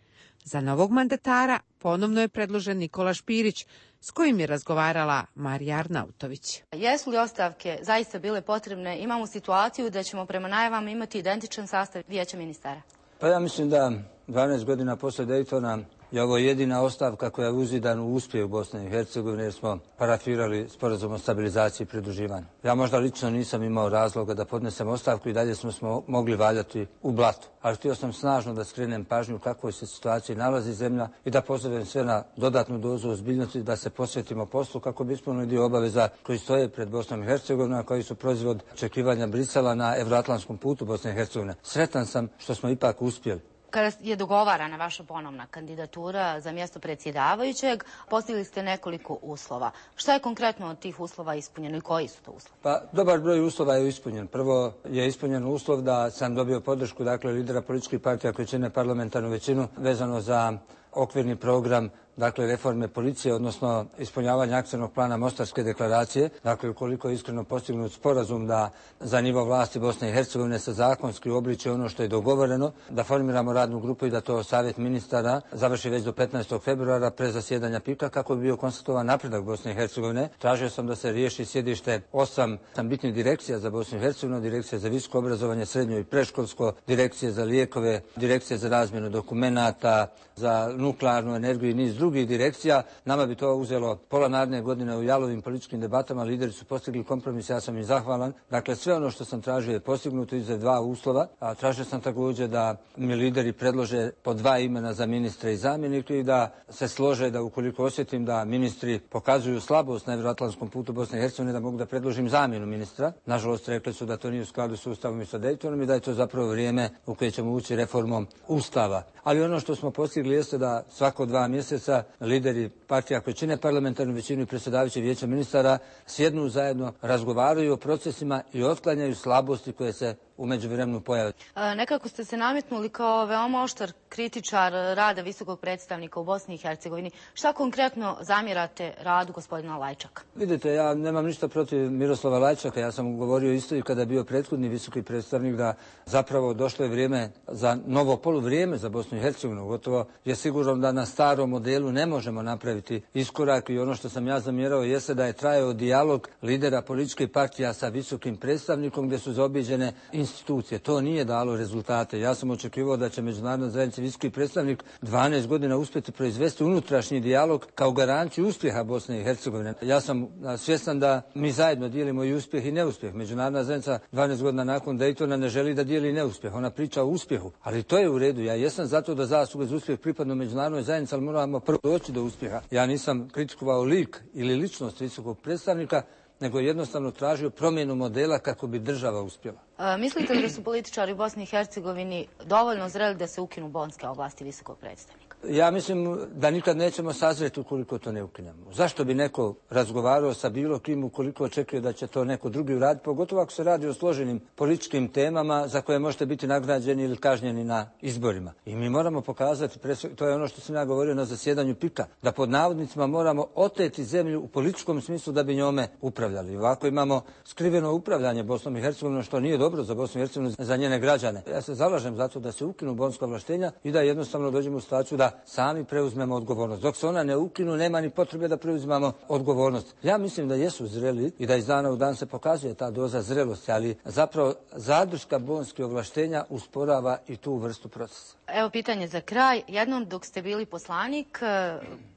Za novog mandatara ponovno je predložen Nikola Špirić, s kojim je razgovarala Marija Arnautović. Jesu li ostavke zaista bile potrebne? Imamo situaciju da ćemo prema najavama imati identičan sastav vijeća ministara. Pa ja mislim da dvanaest godina posle Dejtona je ovo jedina ostavka koja je uzidan u uspjeh u Bosni i Hercegovini, jer smo parafirali sporazum o stabilizaciji i pridruživanju. Ja možda lično nisam imao razloga da podnesem ostavku i dalje smo, smo mogli valjati u blatu. Ali htio sam snažno da skrenem pažnju u kakvoj se situaciji nalazi zemlja i da pozovem sve na dodatnu dozu ozbiljnosti da se posvetimo poslu kako bi ispunili dio obaveza koji stoje pred Bosnom i Hercegovinom, a koji su proizvod očekivanja Brisela na evroatlantskom putu Bosne i Hercegovine. Sretan sam što smo ipak uspjeli. Kada je dogovarana vaša ponovna kandidatura za mjesto predsjedavajućeg, postavili ste nekoliko uslova. Šta je konkretno od tih uslova ispunjeno i koji su to uslovi? Pa, dobar broj uslova je ispunjen. Prvo je ispunjen uslov da sam dobio podršku, dakle, lidera političkih partija koji čine parlamentarnu većinu vezano za okvirni program, dakle, reforme policije, odnosno ispunjavanje akcionog plana Mostarske deklaracije. Dakle, ukoliko je iskreno postignut sporazum da za nivo vlasti Bosne i Hercegovine se zakonski uobliči ono što je dogovoreno, da formiramo radnu grupu i da to Savjet ministara završi već do petnaestog februara pre zasjedanja pika kako bi bio konstatovan napredak Bosne i Hercegovine. Tražio sam da se riješi sjedište osam bitnih direkcija za Bosnu i Hercegovinu, direkcija za visoko obrazovanje, srednjo i predškolsko, direkcije za lijekove, direkcije za razmjenu dokumenata, za nuklearnu energiju i niz drugih drugih direkcija. Nama bi to uzelo pola naredne godine u jalovim političkim debatama. Lideri su postigli kompromis, ja sam im zahvalan. Dakle, sve ono što sam tražio je postignuto iza dva uslova. A tražio sam također da mi lideri predlože po dva imena za ministre i zamjenike i da se slože da ukoliko osjetim da ministri pokazuju slabost na Euroatlantskom putu Bosne i Hercegovine, da mogu da predložim zamjenu ministra. Nažalost, rekli su da to nije u skladu s Ustavom i sa Daytonom i da je to zapravo vrijeme u koje ćemo ući reformom Ustava. Ali ono što smo postigli jeste da svako dva mjeseca lideri partija koje čine parlamentarnu većinu i predsjedavajući vijeća ministara sjednu zajedno, razgovaraju o procesima i otklanjaju slabosti koje se u međuvremenu pojave. E, nekako ste se nametnuli kao veoma oštar kritičar rada visokog predstavnika u Bosni i Hercegovini. Šta konkretno zamjerate radu gospodina Lajčaka? Vidite, ja nemam ništa protiv Miroslava Lajčaka. Ja sam govorio isto i kada je bio prethodni visoki predstavnik da zapravo došlo je vrijeme za novo poluvrijeme za Bosnu i Hercegovinu. Gotovo je sigurno da na starom modelu ne možemo napraviti iskorak i ono što sam ja zamjerao jeste da je trajao dijalog lidera političkih partija sa visokim predstavnikom gdje su zaobiđene institucije. To nije dalo rezultate. Ja sam očekivao da će međunarodna zajednica visoki predstavnik dvanaest godina uspjeti proizvesti unutrašnji dijalog kao garanciju uspjeha Bosne i Hercegovine. Ja sam svjestan da mi zajedno dijelimo i uspjeh i neuspjeh. Međunarodna zajednica dvanaest godina nakon Daytona ne želi da dijeli neuspjeh. Ona priča o uspjehu. Ali to je u redu. Ja jesam zato da zasluge za uspjeh pripadnu međunarodnoj zajednici, ali moramo prvo doći do uspjeha. Ja nisam kritikovao lik ili ličnost visokog predstavnika, nego jednostavno tražio promjenu modela kako bi država uspjela. E, mislite li da su političari u Bosni i Hercegovini dovoljno zreli da se ukinu bonske ovlasti visokog predstavnika? Ja mislim da nikad nećemo sazreti ukoliko to ne ukinemo. Zašto bi neko razgovarao sa bilo kim ukoliko očekuje da će to neko drugi uraditi, pogotovo ako se radi o složenim političkim temama za koje možete biti nagrađeni ili kažnjeni na izborima. I mi moramo pokazati, to je ono što sam ja govorio na zasjedanju pika, da pod navodnicima moramo oteti zemlju u političkom smislu da bi njome upravljali. Ovako imamo skriveno upravljanje Bosnom i Hercegovinom, što nije dobro za Bosnu i Hercegovinu, za njene građane. Ja se zalažem za to da se ukinu bonska ovlaštenja i da jednostavno dođemo u situaciju da sami preuzmemo odgovornost. Dok se ona ne ukinu, nema ni potrebe da preuzimamo odgovornost. Ja mislim da jesu zreli i da iz dana u dan se pokazuje ta doza zrelosti, ali zapravo zadrška bonskih ovlaštenja usporava i tu vrstu procesa. Evo pitanje za kraj. Jednom dok ste bili poslanik,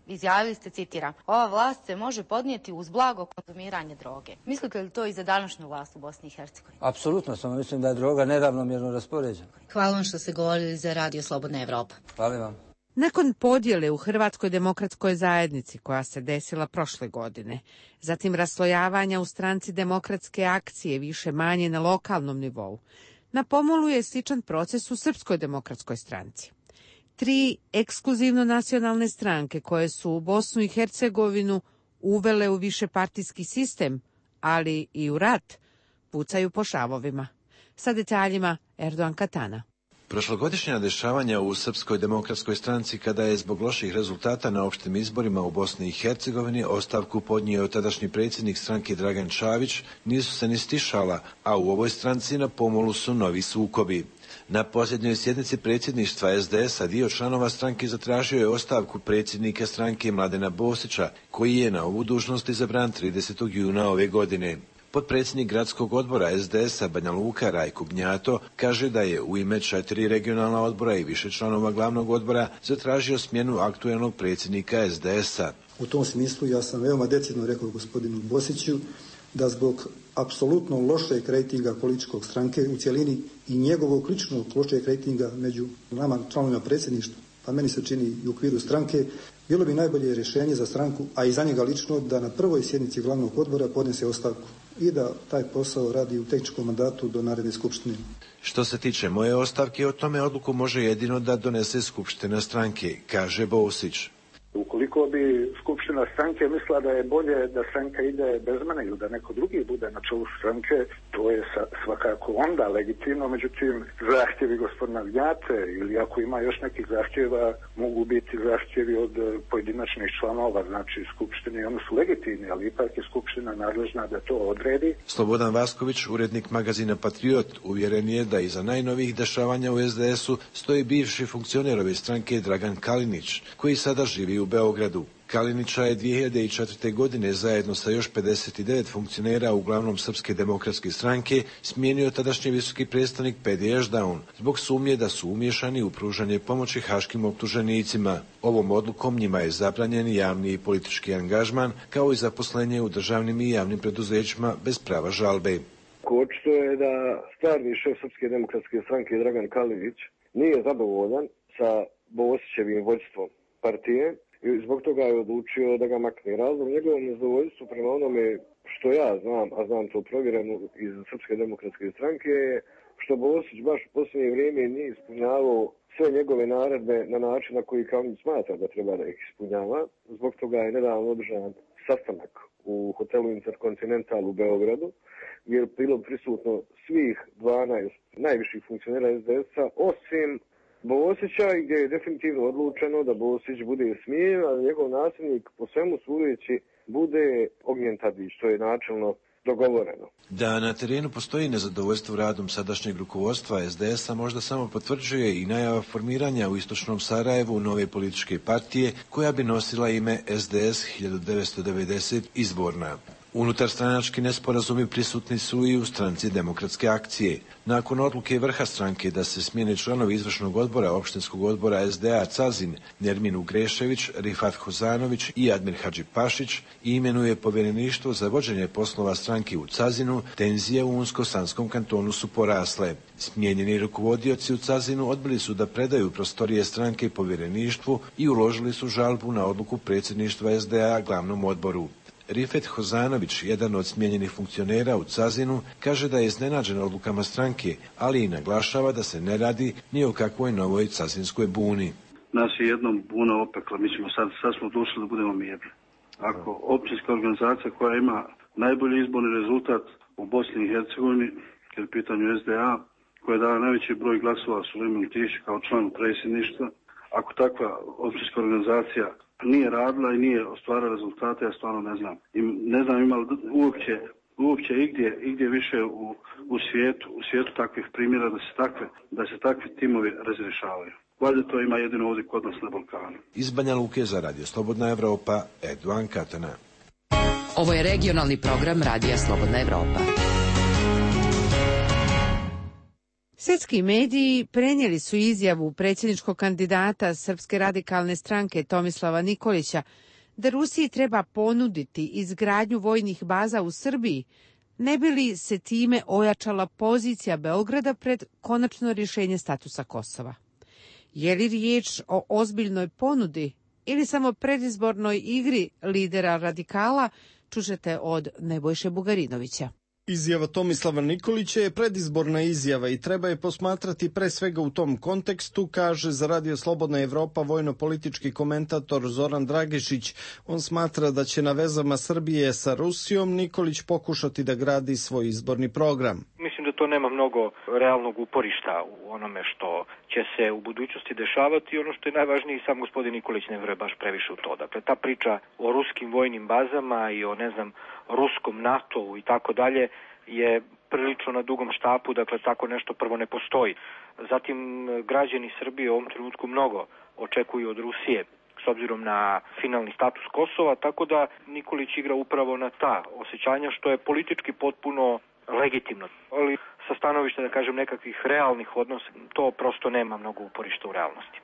izjavili ste, citiram, ova vlast se može podnijeti uz blago konzumiranje droge. Mislite li to i za današnju vlast u Bosni i Hercegovini? Apsolutno, samo mislim da je droga neravnomjerno raspoređena. Hvala vam što ste govorili za Radio Slobodna Evropa. Hvala vam. Nakon podjele u Hrvatskoj demokratskoj zajednici koja se desila prošle godine, zatim raslojavanja u stranci Demokratske akcije više manje na lokalnom nivou, na pomolu je sličan proces u Srpskoj demokratskoj stranci. Tri ekskluzivno nacionalne stranke koje su u Bosnu i Hercegovinu uvele u višepartijski sistem, ali i u rat, pucaju po šavovima. Sa detaljima Erdogan Katana. Prošlogodišnja dešavanja u Srpskoj demokratskoj stranci, kada je zbog loših rezultata na opštim izborima u Bosni i Hercegovini ostavku podnio tadašnji predsjednik stranke Dragan Čavić, nisu se ni stišala, a u ovoj stranci na pomolu su novi sukobi. Na posljednjoj sjednici predsjedništva es de es-a dio članova stranke zatražio je ostavku predsjednika stranke Mladena Bosića, koji je na ovu dužnost izabran tridesetog juna ove godine. Potpredsjednik gradskog odbora es de es-a Banja Luka Rajko Gnjato kaže da je u ime četiri regionalna odbora i više članova glavnog odbora zatražio smjenu aktuelnog predsjednika es de es-a. U tom smislu ja sam veoma decidno rekao gospodinu Bosiću da zbog apsolutno lošeg rejtinga političkog stranke u cjelini i njegovog ličnog lošeg rejtinga među nama članovima predsjedništva, pa meni se čini i u okviru stranke, bilo bi najbolje rješenje za stranku, a i za njega lično, da na prvoj sjednici glavnog odbora podnese ostavku i da taj posao radi u tehničkom mandatu do naredne skupštine. Što se tiče moje ostavke, o tome odluku može jedino da donese skupština stranke, kaže Bosić. Ukoliko bi skupština stranke mislila da je bolje da stranka ide bez mene ili da neko drugi bude na čelu stranke, to je svakako onda legitimno, međutim zahtjevi gospodina Gnjate ili ako ima još nekih zahtjeva mogu biti zahtjevi od pojedinačnih članova, znači skupštine, oni su legitimni, ali ipak je skupština nadležna da to odredi. Slobodan Vasković, urednik magazina Patriot, uvjeren je da iza najnovijih dešavanja u es de es-u stoji bivši funkcioner ove stranke Dragan Kalinić, koji sada živi u Beogradu. Kalinića je dvije hiljade četvrte. godine zajedno sa još pedeset devet funkcionera, uglavnom Srpske demokratske stranke, smijenio tadašnji visoki predstavnik Pedi Ešdaun zbog sumnje da su umiješani u pružanje pomoći haškim optuženicima. Ovom odlukom njima je zabranjen javni i politički angažman, kao i zaposlenje u državnim i javnim preduzećima bez prava žalbe. Očito je da stvarni šef Srpske demokratske stranke Dragan Kalinić nije zadovoljan sa Bosićevim vođstvom partije i zbog toga je odlučio da ga makne. Razlog njegovom nezadovoljstvu prema onome što ja znam, a znam to provjereno iz Srpske demokratske stranke, je što Bosić baš u posljednje vrijeme nije ispunjavao sve njegove naredbe na način na koji Kalinić smatra da treba da ih ispunjava. Zbog toga je nedavno održan sastanak u hotelu Intercontinental u Beogradu, gdje je bilo prisutno svih dvanaest najviših funkcionera es de es-a, osim Bosića, gdje je definitivno odlučeno da Bosić bude smijenjen, a njegov nasljednik po svemu sudeći bude Ognjen Tadić, što je načelno dogovoreno. Da na terenu postoji nezadovoljstvo radom sadašnjeg rukovodstva es de es-a možda samo potvrđuje i najava formiranja u istočnom Sarajevu nove političke partije koja bi nosila ime es de es hiljadu devetsto devedeset izborna. Unutarstranački nesporazumi prisutni su i u stranci Demokratske akcije. Nakon odluke vrha stranke da se smijene članovi izvršnog odbora opštinskog odbora es de a Cazin, Nermin Ugrešević, Rifat Hozanović i Admir Hadžipašić i imenuje povjereništvo za vođenje poslova stranke u Cazinu, tenzije u Unsko-Sanskom kantonu su porasle. Smijenjeni rukovodioci u Cazinu odbili su da predaju prostorije stranke povjereništvu i uložili su žalbu na odluku predsjedništva es de a glavnom odboru. Rifet Hozanović, jedan od smijenjenih funkcionera u Cazinu, kaže da je iznenađen odlukama stranke, ali i naglašava da se ne radi ni o kakvoj novoj cazinskoj buni. Nas je jednom buna opekla, mi ćemo sad, sad smo došli da budemo mirni. Ako općinska organizacija koja ima najbolji izborni rezultat u Bosni i Hercegovini, kad je u pitanju es de a, koja je dala najveći broj glasova Sulejmanu Tiši kao članu predsjedništva, ako takva općinska organizacija nije radila i nije ostvarila rezultate, ja stvarno ne znam. I ne znam ima li uopće, uopće igdje, igdje više u, u svijetu, u svijetu takvih primjera da se takve, da se takvi timovi razrješavaju. Valjda to ima jedino ovdje kod nas na Balkanu. Iz Banja Luke za Radio Slobodna Evropa, Eduan Katana. Ovo je regionalni program Radija Slobodna Evropa. Svjetski mediji prenijeli su izjavu predsjedničkog kandidata Srpske radikalne stranke Tomislava Nikolića da Rusiji treba ponuditi izgradnju vojnih baza u Srbiji, ne bi li se time ojačala pozicija Beograda pred konačno rješenje statusa Kosova. Je li riječ o ozbiljnoj ponudi ili samo predizbornoj igri lidera radikala, čućete od Nebojše Bugarinovića. Izjava Tomislava Nikolića je predizborna izjava i treba je posmatrati pre svega u tom kontekstu, kaže za Radio Slobodna Evropa vojno-politički komentator Zoran Dragišić. On smatra da će na vezama Srbije sa Rusijom Nikolić pokušati da gradi svoj izborni program. Mislim da to nema mnogo realnog uporišta u onome što će se u budućnosti dešavati i ono što je najvažnije, sam gospodin Nikolić ne vjeruje baš previše u to. Dakle, ta priča o ruskim vojnim bazama i o, ne znam, ruskom NATO-u i tako dalje je prilično na dugom štapu, dakle tako nešto prvo ne postoji. Zatim, građani Srbije u ovom trenutku mnogo očekuju od Rusije s obzirom na finalni status Kosova, tako da Nikolić igra upravo na ta osjećanja, što je politički potpuno legitimno. Ali sa stanovišta, da kažem, nekakvih realnih odnosa, to prosto nema mnogo uporišta u realnosti.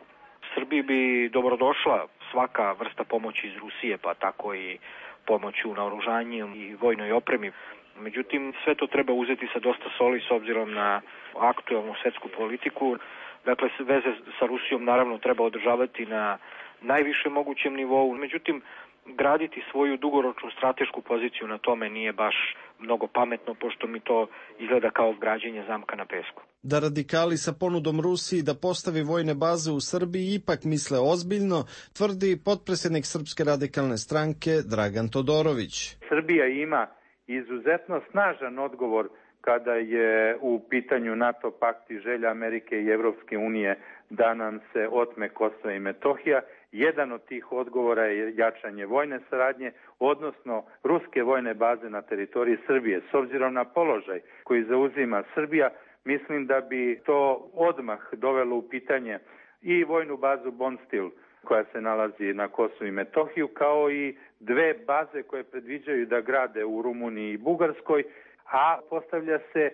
Srbiji bi dobrodošla svaka vrsta pomoći iz Rusije, pa tako i pomoć u naoružanju i vojnoj opremi. Međutim, sve to treba uzeti sa dosta soli s obzirom na aktualnu svjetsku politiku. Dakle, veze sa Rusijom naravno treba održavati na najvišem mogućem nivou. Međutim, graditi svoju dugoročnu stratešku poziciju na tome nije baš mnogo pametno, pošto mi to izgleda kao građenje zamka na pesku. Da radikali sa ponudom Rusiji da postavi vojne baze u Srbiji ipak misle ozbiljno, tvrdi potpredsjednik Srpske radikalne stranke Dragan Todorović. Srbija ima izuzetno snažan odgovor kada je u pitanju NATO pakt i želja Amerike i Evropske unije da nam se otme Kosovo i Metohija. Jedan od tih odgovora je jačanje vojne saradnje, odnosno ruske vojne baze na teritoriji Srbije. S obzirom na položaj koji zauzima Srbija, mislim da bi to odmah dovelo u pitanje i vojnu bazu Bonstil koja se nalazi na Kosovu i Metohiju, kao i dve baze koje predviđaju da grade u Rumuniji i Bugarskoj, a postavlja se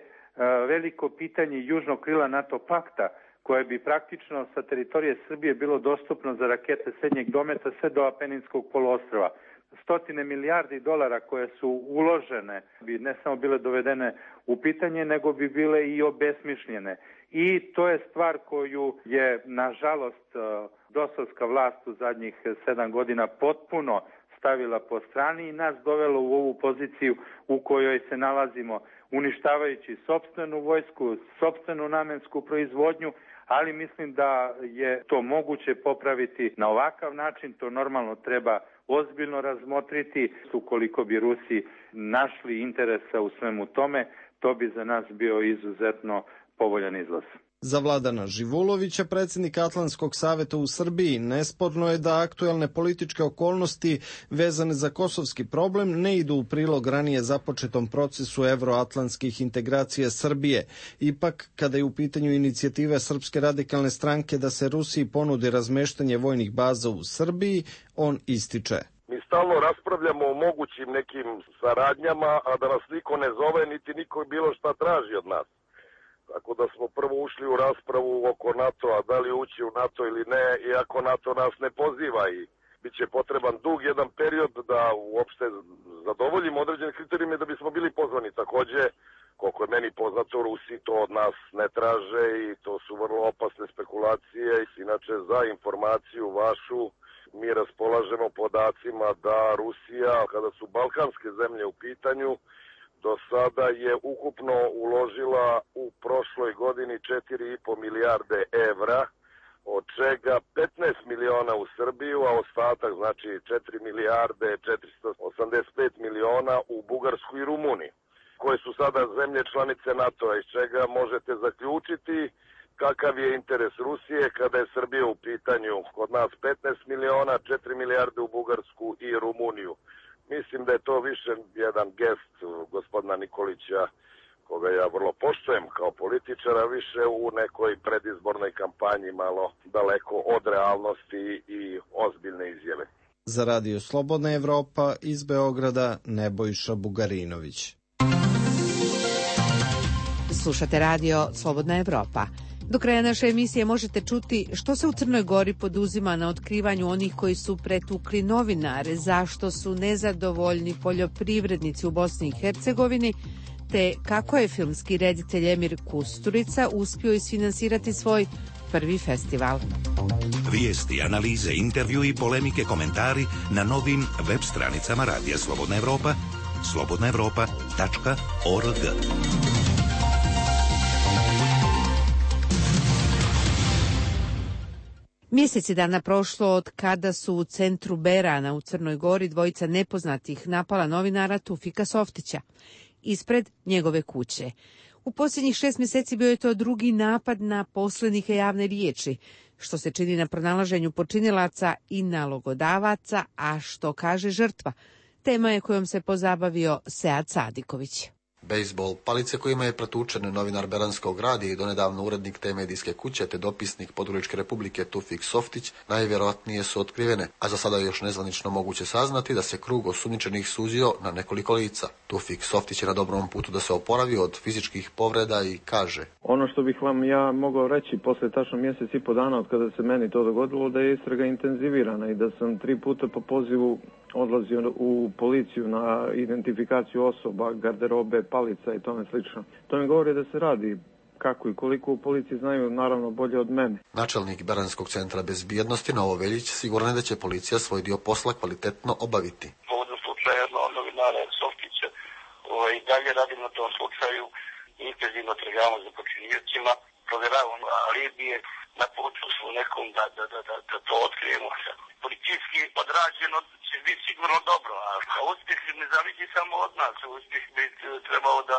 veliko pitanje južnog krila NATO pakta, koje bi praktično sa teritorije Srbije bilo dostupno za rakete srednjeg dometa sve do Apeninskog poluostrva. Stotine milijardi dolara koje su uložene bi ne samo bile dovedene u pitanje, nego bi bile i obesmišljene. I to je stvar koju je, nažalost, dosovska vlast u zadnjih sedam godina potpuno stavila po strani i nas dovelo u ovu poziciju u kojoj se nalazimo, uništavajući sopstvenu vojsku, sopstvenu namensku proizvodnju, ali mislim da je to moguće popraviti na ovakav način. To normalno treba ozbiljno razmotriti. Ukoliko bi Rusi našli interesa u svemu tome, to bi za nas bio izuzetno povoljan izlaz. Za Vladana Živulovića, predsjednika Atlantskog saveta u Srbiji, nesporno je da aktuelne političke okolnosti vezane za kosovski problem ne idu u prilog ranije započetom procesu evroatlantskih integracija Srbije. Ipak, kada je u pitanju inicijative Srpske radikalne stranke da se Rusiji ponudi razmeštanje vojnih baza u Srbiji, on ističe. Mi stalno raspravljamo o mogućim nekim saradnjama, a da nas niko ne zove, niti niko bilo šta traži od nas. Tako da smo prvo ušli u raspravu oko NATO-a, da li ući u NATO ili ne, iako NATO nas ne poziva i bit će potreban dug jedan period da uopšte zadovoljimo određene kriterijume da bismo bili pozvani. Takođe, koliko je meni poznato, Rusi to od nas ne traže i to su vrlo opasne spekulacije. Inače, za informaciju vašu, mi raspolažemo podacima da Rusija, kada su balkanske zemlje u pitanju, do sada je ukupno uložila u prošloj godini četiri i po milijarde evra, od čega petnaest miliona u Srbiju, a ostatak, znači četiri milijarde četiristo osamdeset pet miliona u Bugarsku i Rumuniju, koje su sada zemlje članice NATO-a, iz čega možete zaključiti kakav je interes Rusije kada je Srbija u pitanju. Kod nas petnaest miliona, četiri milijarde u Bugarsku i Rumuniju. Mislim da je to više jedan gest gospodina Nikolića, koga ja vrlo poštujem kao političara, više u nekoj predizbornoj kampanji, malo daleko od realnosti i ozbiljne izjave. Za Radio Slobodna Evropa iz Beograda, Nebojša Bugarinović. Slušate Radio Slobodna Evropa. Do kraja naše emisije možete čuti što se u Crnoj Gori poduzima na otkrivanju onih koji su pretukli novinare, zašto su nezadovoljni poljoprivrednici u Bosni i Hercegovini, te kako je filmski reditelj Emir Kusturica uspio isfinansirati svoj prvi festival. Vijesti, analize, intervju i polemike, komentari na novim web stranicama Radija Slobodna Evropa, slobodna evropa tačka org. Mjeseci dana prošlo od kada su u centru Berana u Crnoj Gori dvojica nepoznatih napala novinara Tufika Softića ispred njegove kuće. U posljednjih šest mjeseci bio je to drugi napad na poslednike javne riječi, što se čini na pronalaženju počinilaca i nalogodavaca, a što kaže žrtva. Tema je kojom se pozabavio Sead Sadiković. Bejsbol, palice kojima je pretučen novinar Beranskog radija i donedavno urednik te medijske kuće te dopisnik Podgoričke republike Tufik Softić najvjerojatnije su otkrivene, a za sada je još nezvanično moguće saznati da se krug osumnjičenih suzio na nekoliko lica. Tufik Softić je na dobrom putu da se oporavi od fizičkih povreda i kaže: Ono što bih vam ja mogao reći posle tačno mjesec i po dana od kada se meni to dogodilo, da je istraga intenzivirana i da sam tri puta po pozivu odlazio u policiju na identifikaciju osoba, garderobe, palica i tome slično. To mi govori da se radi. Kako i koliko u policiji znaju, naravno, bolje od mene. Načelnik Beranskog centra bezbjednosti Novo Veljić siguran je da će policija svoj dio posla kvalitetno obaviti. Povodom slučaja jednog novinara Softića, ovaj, dalje radim na tom slučaju, intenzivno tragamo za počiniocima, provjeravamo alibije, na putu smo nekom da, da, da, da, da to otkrijemo. Policijski odrađeno će biti sigurno dobro, a uspjeh ne zavisi samo od nas, uspjeh bi trebao da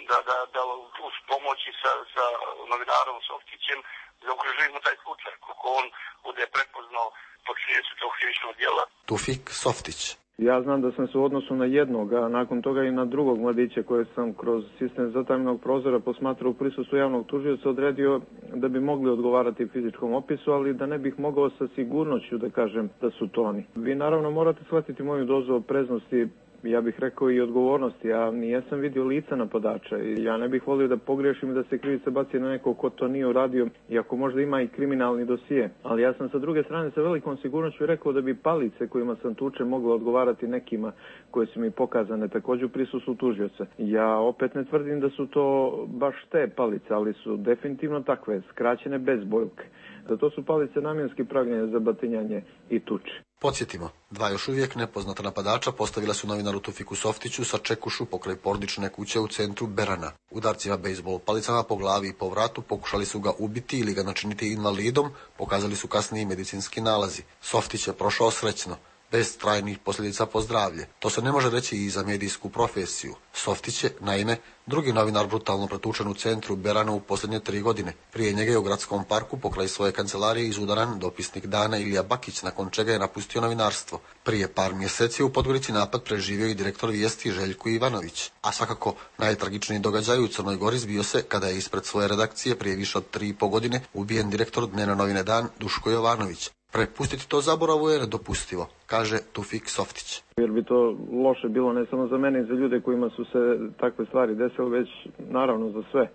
da, da, da uz pomoći sa, sa novinarom Softićem zaokružujemo taj slučaj, kako on bude prepoznao počinjenje tog krivičnog djela. Tufik Softić. Ja znam da sam se u odnosu na jednog, a nakon toga i na drugog mladića koje sam kroz sistem zatamljenog prozora posmatrao u prisustvu javnog tužioca odredio da bi mogli odgovarati fizičkom opisu, ali da ne bih mogao sa sigurnošću da kažem da su to oni. Vi naravno morate shvatiti moju dozu opreznosti, ja bih rekao i odgovornosti. Ja nijesam vidio lica napadača i ja ne bih volio da pogriješim i da se krivica baci na nekog ko to nije uradio, iako možda ima i kriminalni dosije. Ali ja sam sa druge strane sa velikom sigurnošću rekao da bi palice kojima sam tučen mogle odgovarati nekima koje su mi pokazane također u prisustvu tužioca. Ja opet ne tvrdim da su to baš te palice, ali su definitivno takve, skraćene bez bojke. Da to su palice namjenski pravljene za batinjanje i tuče. Podsjetimo, dva još uvijek nepoznata napadača postavila su novinaru Tufiku Softiću sa čekušu pokraj porodične kuće u centru Berana. Udarcima bejzbol palicama po glavi i po vratu pokušali su ga ubiti ili ga načiniti invalidom, pokazali su kasniji medicinski nalazi. Softić je prošao srećno, bez trajnih posljedica po zdravlje. To se ne može reći i za medijsku profesiju. Softić je, naime, drugi novinar brutalno pretučen u centru Berana u posljednje tri godine. Prije njega je u gradskom parku pokraj svoje kancelarije izudaran dopisnik dana Ilija Bakić, nakon čega je napustio novinarstvo. Prije par mjeseci u Podgorici napad preživio i direktor Vijesti Željko Ivanović. A svakako najtragičniji događaj u Crnoj Gori zbio se kada je ispred svoje redakcije prije više od tri i po godine ubijen direktor dnevne novine Dan Duško Jovanović. Prepustiti to zaboravu je nedopustivo, kaže Tufik Softić. Jer bi to loše bilo ne samo za mene i za ljude kojima su se takve stvari desile, već naravno za sve.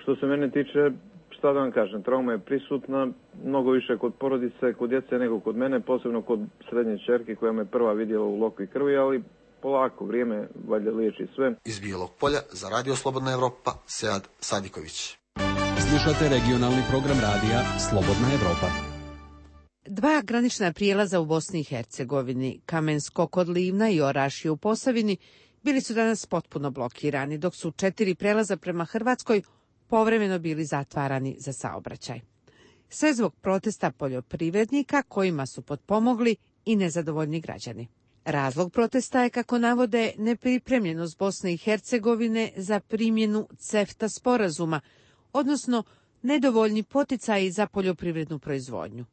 Što se mene tiče, šta da vam kažem, trauma je prisutna, mnogo više kod porodice, kod djece nego kod mene, posebno kod srednje ćerke koja me prva vidjela u lokvi krvi, ali polako, vrijeme valjda liječi sve. Iz Bijelog Polja za Radio Slobodna Evropa, Sead Sadiković. Slušate regionalni program radija Slobodna Evropa. Dva granična prijelaza u Bosni i Hercegovini, Kamensko kod Livna i Orašje u Posavini, bili su danas potpuno blokirani, dok su četiri prelaza prema Hrvatskoj povremeno bili zatvarani za saobraćaj. Sve zbog protesta poljoprivrednika kojima su potpomogli i nezadovoljni građani. Razlog protesta je, kako navode, nepripremljenost Bosne i Hercegovine za primjenu CEFTA sporazuma, odnosno nedovoljni poticaji za poljoprivrednu proizvodnju.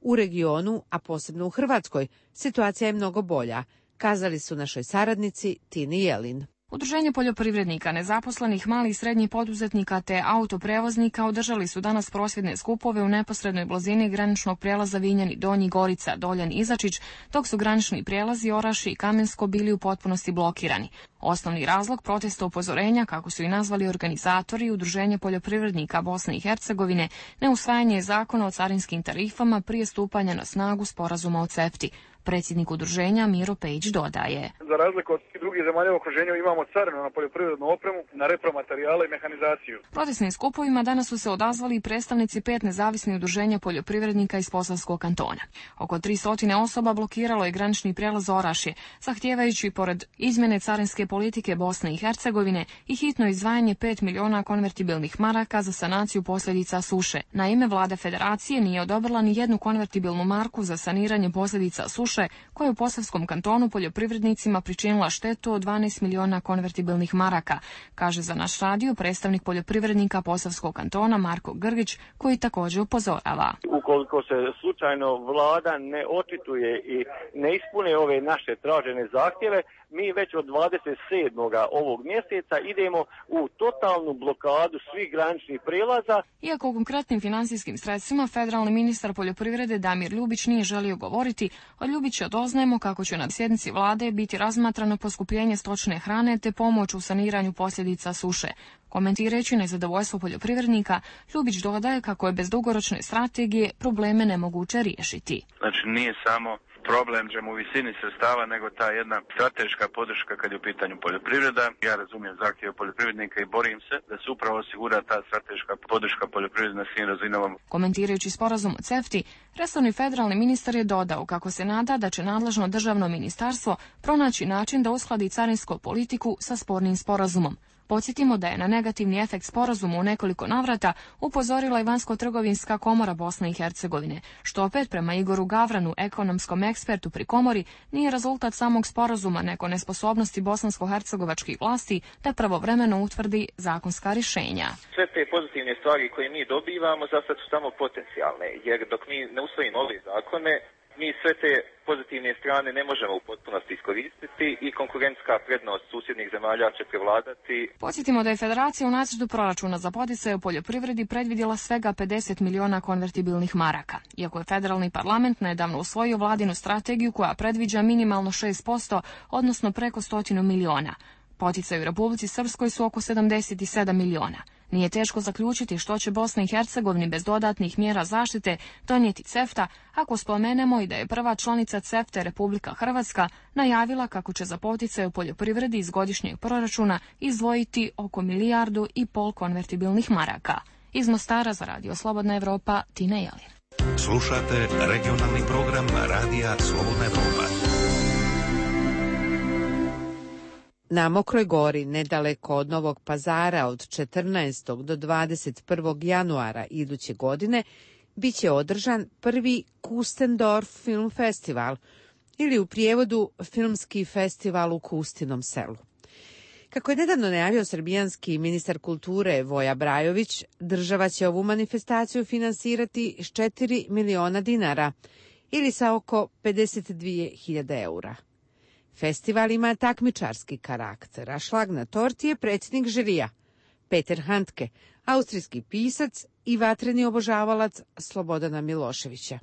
U regionu, a posebno u Hrvatskoj, situacija je mnogo bolja, kazali su našoj saradnici Tini Jelin. Udruženje poljoprivrednika, nezaposlenih, malih i srednjih poduzetnika te autoprevoznika održali su danas prosvjedne skupove u neposrednoj blizini graničnog prijelaza Vinjani Donji, Gorica, Doljan, Izačić, dok su granični prijelazi Orašje i Kamensko bili u potpunosti blokirani. Osnovni razlog protesta upozorenja, kako su i nazvali organizatori, Udruženje poljoprivrednika Bosne i Hercegovine, neusvajanje zakona o carinskim tarifama prije stupanja na snagu sporazuma o CEFTI. Predsjednik udruženja Miro Pejić dodaje. Za razliku od drugih zemalja u okruženju imamo carinu na poljoprivrednu opremu, na repromaterijale i mehanizaciju. Protestnim skupovima danas su se odazvali i predstavnici pet nezavisnih udruženja poljoprivrednika iz Posavskog kantona. Oko tristo osoba blokiralo je granični prijelaz Orašje, zahtijevajući pored izmjene carinske politike Bosne i Hercegovine i hitno izdvajanje pet miliona konvertibilnih maraka za sanaciju posljedica suše. Naime, vlada federacije nije odobrila ni jednu konvertibilnu marku za saniranje posljedica suše, koja je u Posavskom kantonu poljoprivrednicima pričinila štetu od dvanaest miliona konvertibilnih maraka, kaže za naš radio predstavnik poljoprivrednika Posavskog kantona Marko Grgić, koji također upozorava. Ukoliko se slučajno vlada ne očituje i ne ispune ove naše tražene zahtjeve, mi već od dvadeset sedmog ovog mjeseca idemo u totalnu blokadu svih graničnih prijelaza. Iako o konkretnim financijskim sredstvima federalni ministar poljoprivrede Damir Ljubić nije želio govoriti, od Ljubića doznajemo kako će na sjednici vlade biti razmatrano poskupljenje stočne hrane te pomoć u saniranju posljedica suše. Komentirajući nezadovoljstvo poljoprivrednika, Ljubić dodaje kako je bez dugoročne strategije probleme nemoguće riješiti. Znači nije samo problem u visini sredstava, nego ta jedna strateška podrška kad je u pitanju poljoprivreda. Ja razumijem zahtjeve poljoprivrednika i borim se da se upravo osigura ta strateška podrška poljoprivrede na svim razinama. Komentirajući sporazum o CEFTI, resorni federalni ministar je dodao kako se nada da će nadležno državno ministarstvo pronaći način da uskladi carinsku politiku sa spornim sporazumom. Podsjetimo da je na negativni efekt sporazuma u nekoliko navrata upozorila i Vanjsko-trgovinska komora Bosne i Hercegovine, što opet prema Igoru Gavranu, ekonomskom ekspertu pri komori, nije rezultat samog sporazuma, nego nesposobnosti bosansko-hercegovačkih vlasti da pravovremeno utvrdi zakonska rješenja. Sve te pozitivne stvari koje mi dobivamo za sad su samo potencijalne, jer dok mi ne usvojimo ove zakone, Mi sve te pozitivne strane ne možemo u potpunosti iskoristiti i konkurentska prednost susjednih zemalja će prevladati. Podsjetimo da je Federacija u nacrtu proračuna za poticaje u poljoprivredi predvidjela svega pedeset miliona konvertibilnih maraka. Iako je federalni parlament nedavno usvojio vladinu strategiju koja predviđa minimalno šest posto, odnosno preko stotinu miliona. Poticaji u Republici Srpskoj su oko sedamdeset sedam miliona. Nije teško zaključiti što će Bosna i Hercegovini bez dodatnih mjera zaštite donijeti CEFTA, ako spomenemo i da je prva članica CEFTA Republika Hrvatska najavila kako će za poticaje u poljoprivredi iz godišnjeg proračuna izdvojiti oko milijardu i pol konvertibilnih maraka. Iz Mostara za Radio Slobodna Evropa, Tina Jelin. Slušate regionalni program Radija Slobodna Evropa. Na Mokroj Gori, nedaleko od Novog Pazara, od četrnaestog do dvadeset prvog januara iduće godine, bit će održan prvi Kustendorf Film Festival, ili u prijevodu Filmski festival u Kustinom selu. Kako je nedavno najavio srbijanski ministar kulture Voja Brajović, država će ovu manifestaciju finansirati s četiri miliona dinara, ili sa oko pedeset dvije hiljade eura. Festival ima takmičarski karakter, a šlag na torti je predsjednik žirija, Peter Handke, austrijski pisac i vatreni obožavalac Slobodana Miloševića.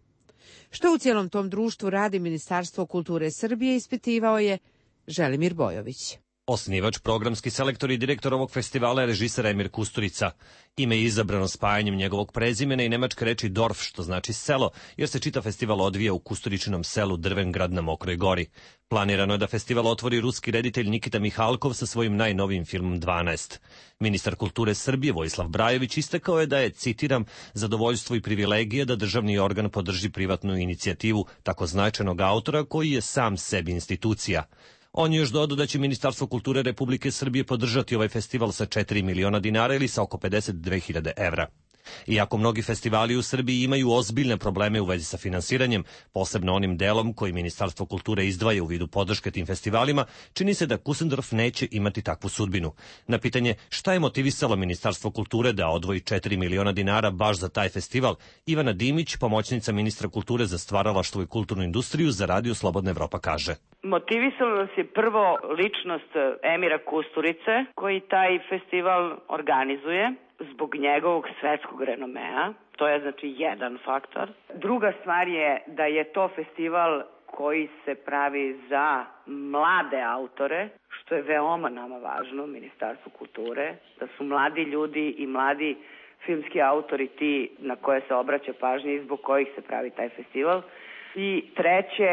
Što u cijelom tom društvu radi Ministarstvo kulture Srbije, ispitivao je Želimir Bojović. Osnivač, programski selektor i direktor ovog festivala je režiser Emir Kusturica. Ime je izabrano spajanjem njegovog prezimena i nemačke reči Dorf, što znači selo, jer se čitav festival odvija u Kusturičinom selu Drvengrad na Mokroj Gori. Planirano je da festival otvori ruski reditelj Nikita Mihalkov sa svojim najnovijim filmom dvanaest. Ministar kulture Srbije Vojislav Brajović istakao je da je, citiram, zadovoljstvo i privilegija da državni organ podrži privatnu inicijativu tako značajnog autora koji je sam sebi institucija. On je još dodao da će Ministarstvo kulture Republike Srbije podržati ovaj festival sa četiri miliona dinara ili sa oko pedeset dve hiljade evra. Iako mnogi festivali u Srbiji imaju ozbiljne probleme u vezi sa finansiranjem, posebno onim delom koji Ministarstvo kulture izdvaja u vidu podrške tim festivalima, čini se da Kustendorf neće imati takvu sudbinu. Na pitanje šta je motivisalo Ministarstvo kulture da odvoji četiri miliona dinara baš za taj festival, Ivana Dimić, pomoćnica ministra kulture za stvaralaštvo i kulturnu industriju za Radio Slobodna Evropa, kaže. Motivisalo nas je prvo ličnost Emira Kusturice, koji taj festival organizuje zbog njegovog svetskog renomea. To je znači jedan faktor. Druga stvar je da je to festival koji se pravi za mlade autore, što je veoma nama važno, Ministarstvu kulture, da su mladi ljudi i mladi filmski autori ti na koje se obraća pažnja i zbog kojih se pravi taj festival. I treće,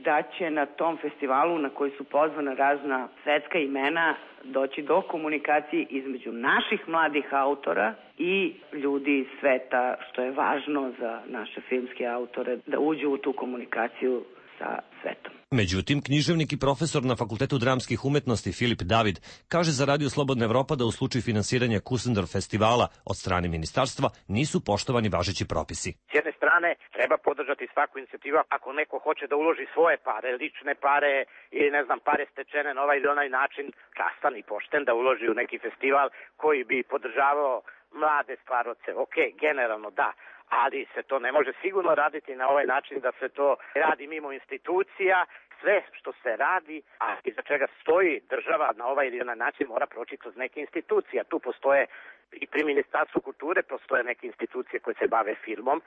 da će na tom festivalu na koji su pozvana razna svetska imena doći do komunikacije između naših mladih autora i ljudi iz sveta, što je važno za naše filmske autore, da uđu u tu komunikaciju sa svetom. Međutim, književnik i profesor na Fakultetu dramskih umetnosti Filip David kaže za Radio Slobodna Evropa da u slučaju finansiranja Kustendorf festivala od strane ministarstva nisu poštovani važeći propisi. S jedne strane treba podržati svaku inicijativu ako neko hoće da uloži svoje pare, lične pare ili ne znam pare stečene na ovaj ili onaj način, častan i pošten da uloži u neki festival koji bi podržavao mlade stvaroce. Ok, generalno da. Ali se to ne može sigurno raditi na ovaj način da se to radi mimo institucija. Sve što se radi, a iza čega stoji država na ovaj ili onaj način mora proći kroz neke institucije. Tu postoje i pri Ministarstvu kulture postoje neke institucije koje se bave filmom,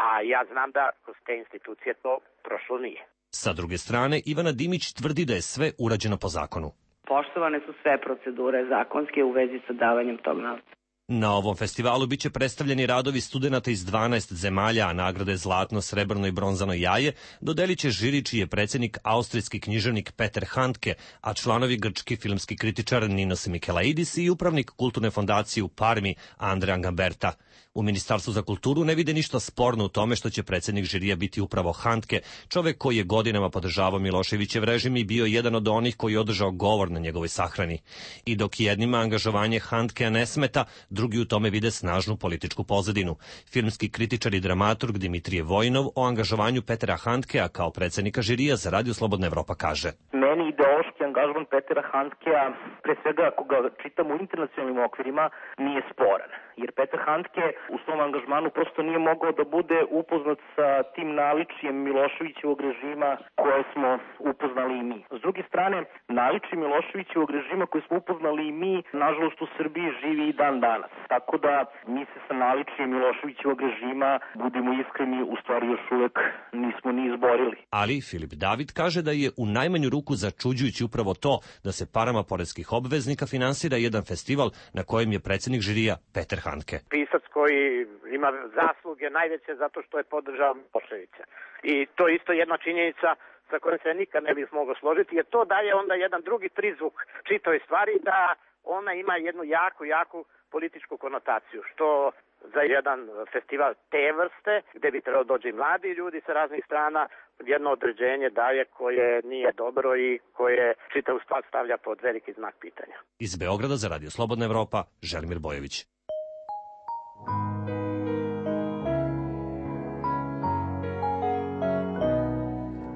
a ja znam da kroz te institucije to prošlo nije. Sa druge strane, Ivana Dimić tvrdi da je sve urađeno po zakonu. Poštovane su sve procedure zakonske u vezi sa davanjem tog novca. Na ovom festivalu biće predstavljeni radovi studenata iz dvanaest zemalja, a nagrade Zlatno, Srebrno i Bronzano jaje dodelit će žiri čiji je predsjednik austrijski književnik Peter Handke, a članovi grčki filmski kritičar Ninos Mikelaidis i upravnik kulturne fondacije u Parmi Andrea Gamberta. U Ministarstvu za kulturu ne vide ništa sporno u tome što će predsjednik žirija biti upravo Handke, čovek koji je godinama podržavao Miloševićev režim i bio jedan od onih koji je održao govor na njegovoj sahrani. I dok jednima angažovanje Handkea ne smeta, drugi u tome vide snažnu političku pozadinu. Filmski kritičar i dramaturg Dimitrije Vojnov o angažovanju Petera Handkea kao predsjednika žirija za Radio Slobodna Evropa kaže. Ne meni ideološki angažman Petera Handkea, pre svega ako ga čitamo u internacionalnim okvirima, nije sporan. Jer Peter Handke u svom angažmanu prosto nije mogao da bude upoznat sa tim naličjem Miloševićevog režima koje smo upoznali i mi. S druge strane, naličje Miloševićevog režima koje smo upoznali i mi, nažalost u Srbiji živi i dan danas. Tako da mi se sa naličjem Miloševićevog režima, budimo iskreni, u stvari još uvek nismo ni izborili. Ali Filip David kaže da je u najmanju ruku začuđujući upravo to da se parama poreskih obveznika finansira jedan festival na kojem je predsjednik žirija Peter Handke. Pisac koji ima zasluge najveće zato što je podržao Miloševića. I to je isto jedna činjenica sa kojom se nikad ne bih mogao složiti, jer to daje onda jedan drugi prizvuk čitoj stvari, da ona ima jednu jako, jako političku konotaciju, što za jedan festival te vrste, gde bi trebalo dođe i mladi ljudi sa raznih strana, jedno određenje daje koje nije dobro i koje čitavu stvar stavlja pod veliki znak pitanja. Iz Beograda za Radio Slobodna Evropa, Želimir Bojović.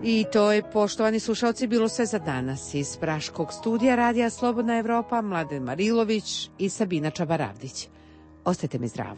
I to je, poštovani slušalci, bilo sve za danas. Iz Praškog studija Radija Slobodna Evropa, Mladen Marilović i Sabina Čabaravdić. Ostajte mi zdravo.